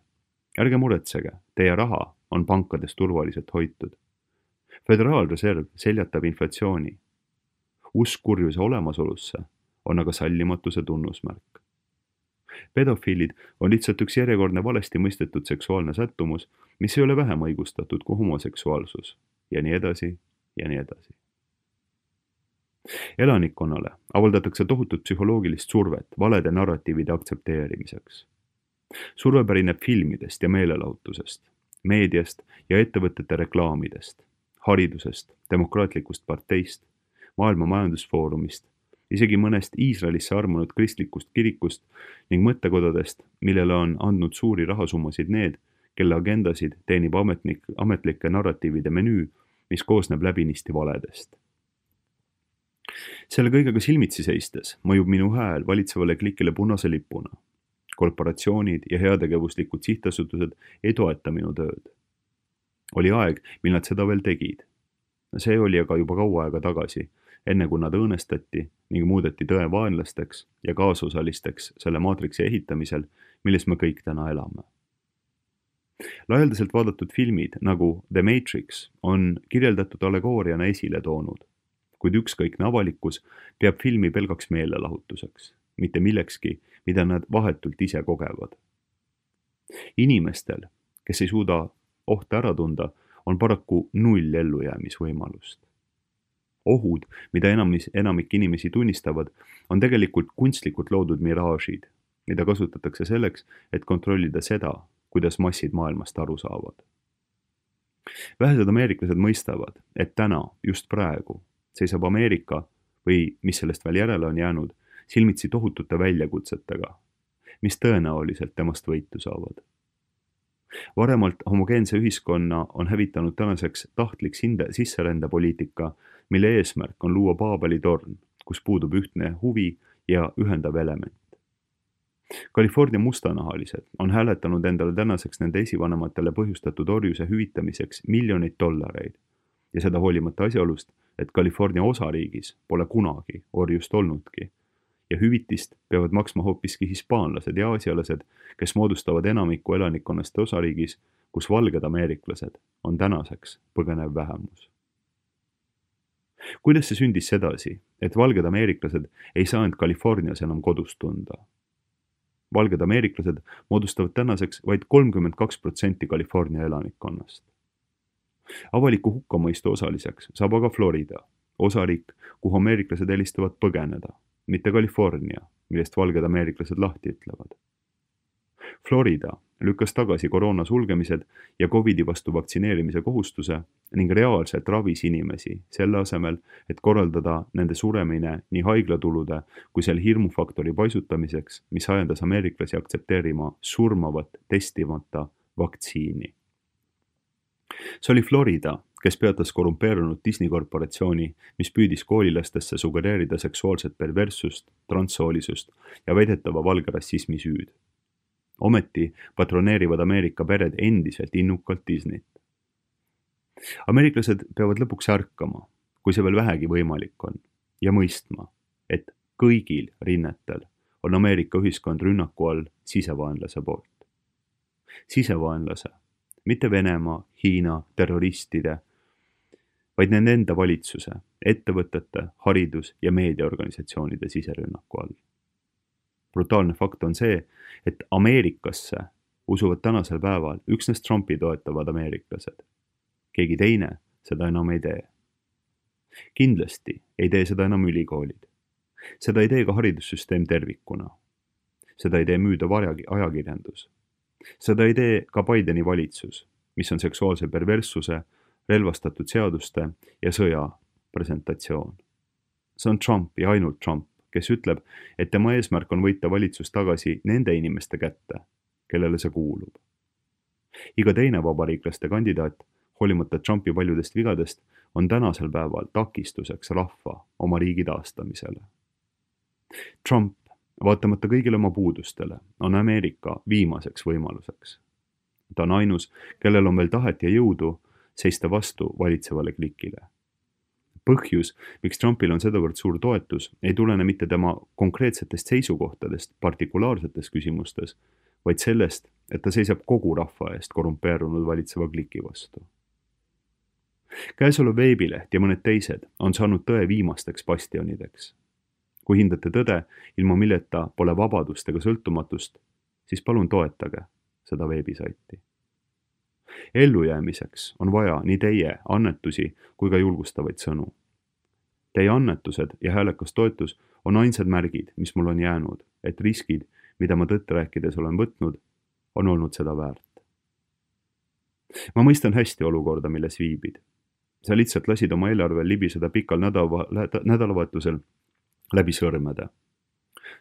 Ärge muretsege, teie raha on pankades turvaliselt hoitud. Föderaalreserv seljatab inflatsiooni. Usk kurjuse olemasolusse on aga sallimatuse tunnusmärk. Pedofiilid on lihtsalt üks järjekordne valesti mõistetud seksuaalne sättumus, mis ei ole vähem õigustatud kui homoseksuaalsus ja nii edasi ja nii edasi. Elanikkonnale avaldatakse tohutut psühholoogilist survet valede narratiivide aktsepteerimiseks. Surve pärineb filmidest ja meelelahutusest, meediast ja ettevõtete reklaamidest, haridusest, demokraatlikust parteist, maailma majandusfoorumist, isegi mõnest Iisraelisse armunud kristlikust kirikust ning mõttekodadest, millele on andnud suuri rahasummasid need, kelle agendasid teenib ametlike narratiivide menüü, mis koosneb läbinisti valedest. Selle kõigega silmitsi seistes mõjub minu hääl valitsevale klikile punase lipuna. Korporatsioonid ja heategevuslikud sihtasutused ei toeta minu tööd. Oli aeg, mil nad seda veel tegid. See oli aga juba kaua aega tagasi, enne kui nad õõnestati ning muudeti tõe vaenlasteks ja kaasosalisteks selle maatriksi ehitamisel, milles me kõik täna elame. Laialdaselt vaadatud filmid nagu The Matrix on kirjeldatud allegooriana esile toonud, kuid ükskõikne avalikkus peab filmi pelgaks meelelahutuseks, mitte millekski, mida nad vahetult ise kogevad. Inimestel, kes ei suuda ohte ära tunda, on paraku 0 ellujäämisvõimalust. Ohud, mida enamik inimesi tunnistavad, on tegelikult kunstlikult loodud miraažid, mida kasutatakse selleks, et kontrollida seda, kuidas massid maailmast aru saavad. Vähesed ameeriklased mõistavad, et täna, just praegu, seisab Ameerika või mis sellest veel järele on jäänud, silmitsi tohutute väljakutsetega, mis tõenäoliselt temast võitu saavad. Varemalt homogeense ühiskonna on hävitanud tänaseks tahtlik sisserändepoliitika, mille eesmärk on luua Paabeli torn, kus puudub ühtne huvi ja ühendav element. California mustanahalised on hääletanud endale tänaseks nende esivanematele põhjustatud orjuse hüvitamiseks $1,000,000 ja seda hoolimata asjaolust, et California osariigis pole kunagi orjust olnudki ja hüvitist peavad maksma hoopiski hispaanlased ja aasialased, kes moodustavad enamiku elanikkonnast osariigis, kus valged ameeriklased on tänaseks põgenev vähemus. Kuidas see sündis sedasi, et valged ameeriklased ei saa end Californias enam kodus tunda? Valged ameeriklased moodustavad tänaseks vaid 32% California elanikkonnast. Avaliku hukkamõistu osaliseks saab aga Florida, osariik, kuhu ameeriklased helistavad põgeneda, mitte California, millest valged ameeriklased lahti ütlevad. Florida lükkas tagasi koroona sulgemised ja COVIDi vastu vaktsineerimise kohustuse ning reaalselt ravis inimesi selle asemel, et korraldada nende suremine nii haiglatulude kui selle hirmufaktori paisutamiseks, mis ajendas ameeriklasi aktsepteerima surmavat testimata vaktsiini. See oli Florida, kes peatas korrumpeerunud Disney korporatsiooni, mis püüdis koolilastesse sugereerida seksuaalset perverssust, transsoolisust ja väidetava valge rassismi süüd. Ometi patroneerivad Ameerika pered endiselt innukalt Disneyt. Ameeriklased peavad lõpuks ärkama, kui see veel vähegi võimalik on, ja mõistma, et kõigil rinnetel on Ameerika ühiskond rünnaku all sisevaenlase poolt. Sisevaenlase, mitte Venemaa, Hiina, terroristide, vaid nende enda valitsuse, ettevõtete, haridus- ja meediaorganisatsioonide siserünnaku all. Brutaalne fakt on see, et Ameerikasse usuvad tänasel päeval üksnes Trumpi toetavad ameeriklased. Keegi teine seda enam ei tee. Kindlasti ei tee seda enam ülikoolid. Seda ei tee ka haridussüsteem tervikuna. Seda ei tee müüdav ajakirjandus. Seda ei tee ka Bideni valitsus, mis on seksuaalse perverssuse, relvastatud seaduste ja sõja presentatsioon. See on Trump ja ainult Trump, kes ütleb, et tema eesmärk on võita valitsus tagasi nende inimeste kätte, kellele see kuulub. Iga teine vabariiklaste kandidaat, hoolimata Trumpi paljudest vigadest, on tänasel päeval takistuseks rahva oma riigi taastamisele. Trump, vaatamata kõigile oma puudustele, on Ameerika viimaseks võimaluseks. Ta on ainus, kellel on veel tahet ja jõudu seista vastu valitsevale klikile. Põhjus, miks Trumpil on sedavõrd suur toetus, ei tulene mitte tema konkreetsetest seisukohtadest partikulaarsetes küsimustes, vaid sellest, et ta seisab kogu rahva eest korrumpeerunud valitseva kliki vastu. Käesolev veebileht ja mõned teised on saanud tõe viimasteks bastionideks. Kui hindate tõde, ilma milleta pole vabadust ega sõltumatust, siis palun toetage seda veebisaiti. Ellujäämiseks on vaja nii teie annetusi kui ka julgustavaid sõnu. Teie annetused ja häälekas toetus on ainsad märgid, mis mul on jäänud, et riskid, mida ma tõtt rääkides olen võtnud, on olnud seda väärt. Ma mõistan hästi olukorda, milles viibid. Sa lihtsalt lasid oma eelarvel libiseda pikal nädalavahetusel läbi sõrmede.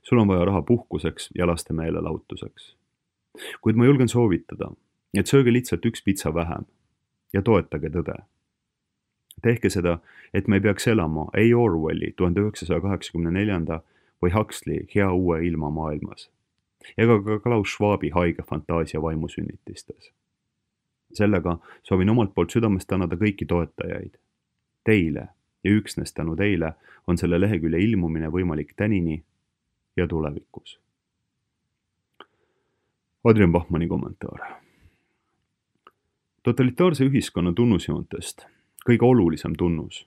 Sul on vaja raha puhkuseks ja laste meelelahutuseks. Kuid ma julgen soovitada, et sööge lihtsalt üks pitsa vähem ja toetage tõde. Tehke seda, et me ei peaks elama ei Orwelli 1984 või Huxley Hea uue ilma maailmas ega ka Klaus Schwabi haige fantaasia vaimusünnitistes. Sellega soovin omalt poolt südamest tänada kõiki toetajaid. Teile ja üksnes tänu teile on selle lehekülje ilmumine võimalik tänini ja tulevikus. Adrian Bachmanni kommentaar. Totalitaarse ühiskonna tunnusjoontest kõige olulisem tunnus,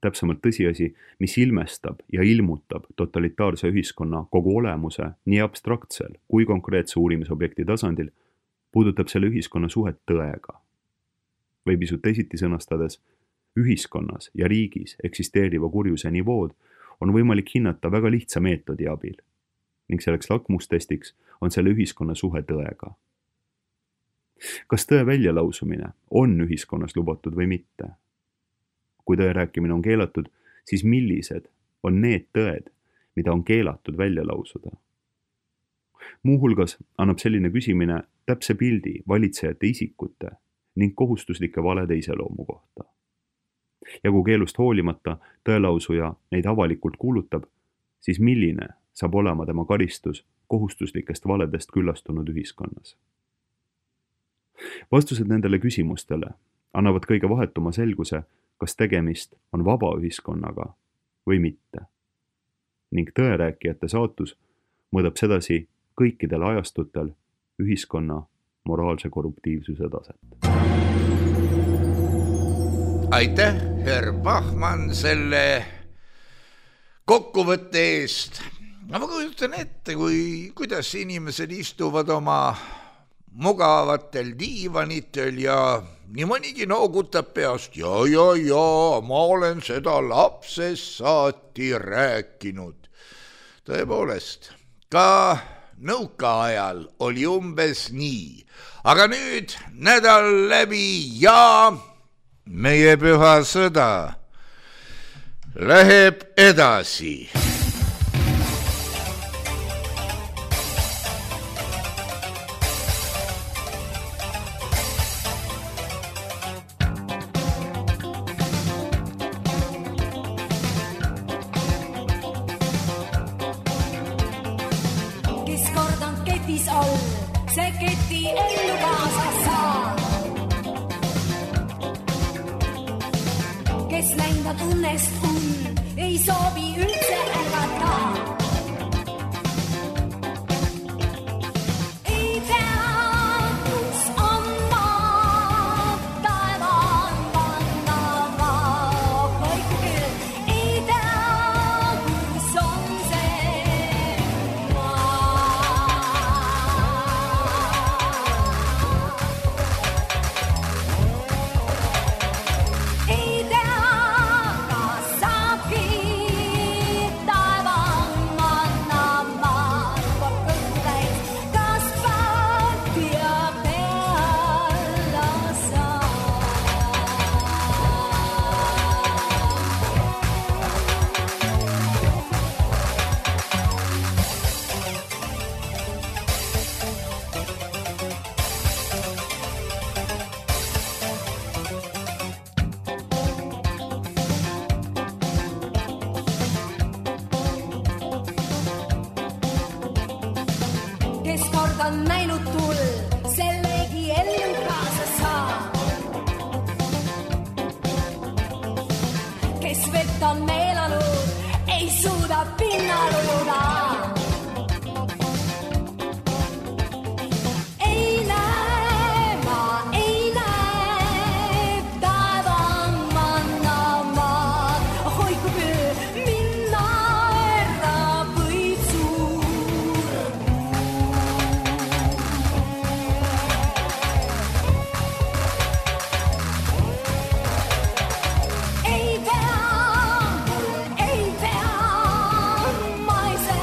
täpsemalt tõsiasi, mis ilmestab ja ilmutab totalitaarse ühiskonna kogu olemuse nii abstraktsel kui konkreetse uurimisobjekti tasandil, puudutab selle ühiskonna suhet tõega. Või pisut teisiti sõnastades, ühiskonnas ja riigis eksisteeriva kurjuse nivood on võimalik hinnata väga lihtsa meetodi abil ning selleks lakmustestiks on selle ühiskonna suhe tõega. Kas tõe väljalausumine on ühiskonnas lubatud või mitte? Kui tõe rääkimine on keelatud, siis millised on need tõed, mida on keelatud välja lausuda? Muuhulgas annab selline küsimine täpse pildi valitsejate isikute ning kohustuslike valede iseloomu kohta. Ja kui keelust hoolimata tõelausuja neid avalikult kuulutab, siis milline saab olema tema karistus kohustuslikest valedest küllastunud ühiskonnas? Vastused nendele küsimustele annavad kõige vahetuma selguse, kas tegemist on vaba ühiskonnaga või mitte. Ning tõerääkijate saatus mõõdab sedasi kõikidel ajastutel ühiskonna moraalse korruptiivsuse taset. Aitäh, herr Bachmann, selle kokkuvõtte eest. Ma kujutan ette, kuidas inimesed istuvad oma mugavatel diivanitel ja nii mõnigi noogutab peast ja, ma olen seda lapsest saati rääkinud. Tõepoolest, ka nõukaajal oli umbes nii, aga nüüd nädal läbi ja meie püha sõda läheb edasi. See keti ellu kaasa saa. Kes läinud õnnest ei soovi üldse ärgata. Ei tea, kus on maa, taeva on panna maa. Vaiku küll, ei tea, kus on see maa. Ei tea, kas saabki taeva manna maal korkutäis, kas patia peale saa. Kes kord on näinud tul, sellegi ellu kaasa saa. Kes vett on meelanud, ei suuda pinnal ujuda. Ei näe, ma ei näe, taeva manna maad. Hoiku küll, minna ära võid suur. Ei tea, ma ei saa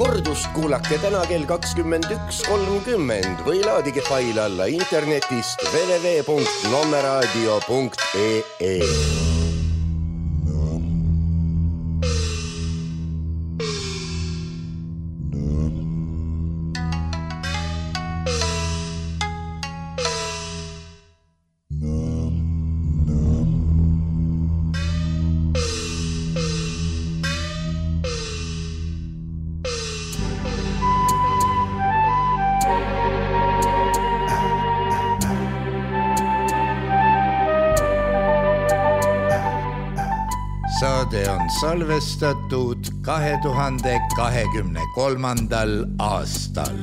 kordust kuulake täna kell 21.30 või laadige fail alla internetist www.nommeradio.ee. Saade on salvestatud 2023. aastal.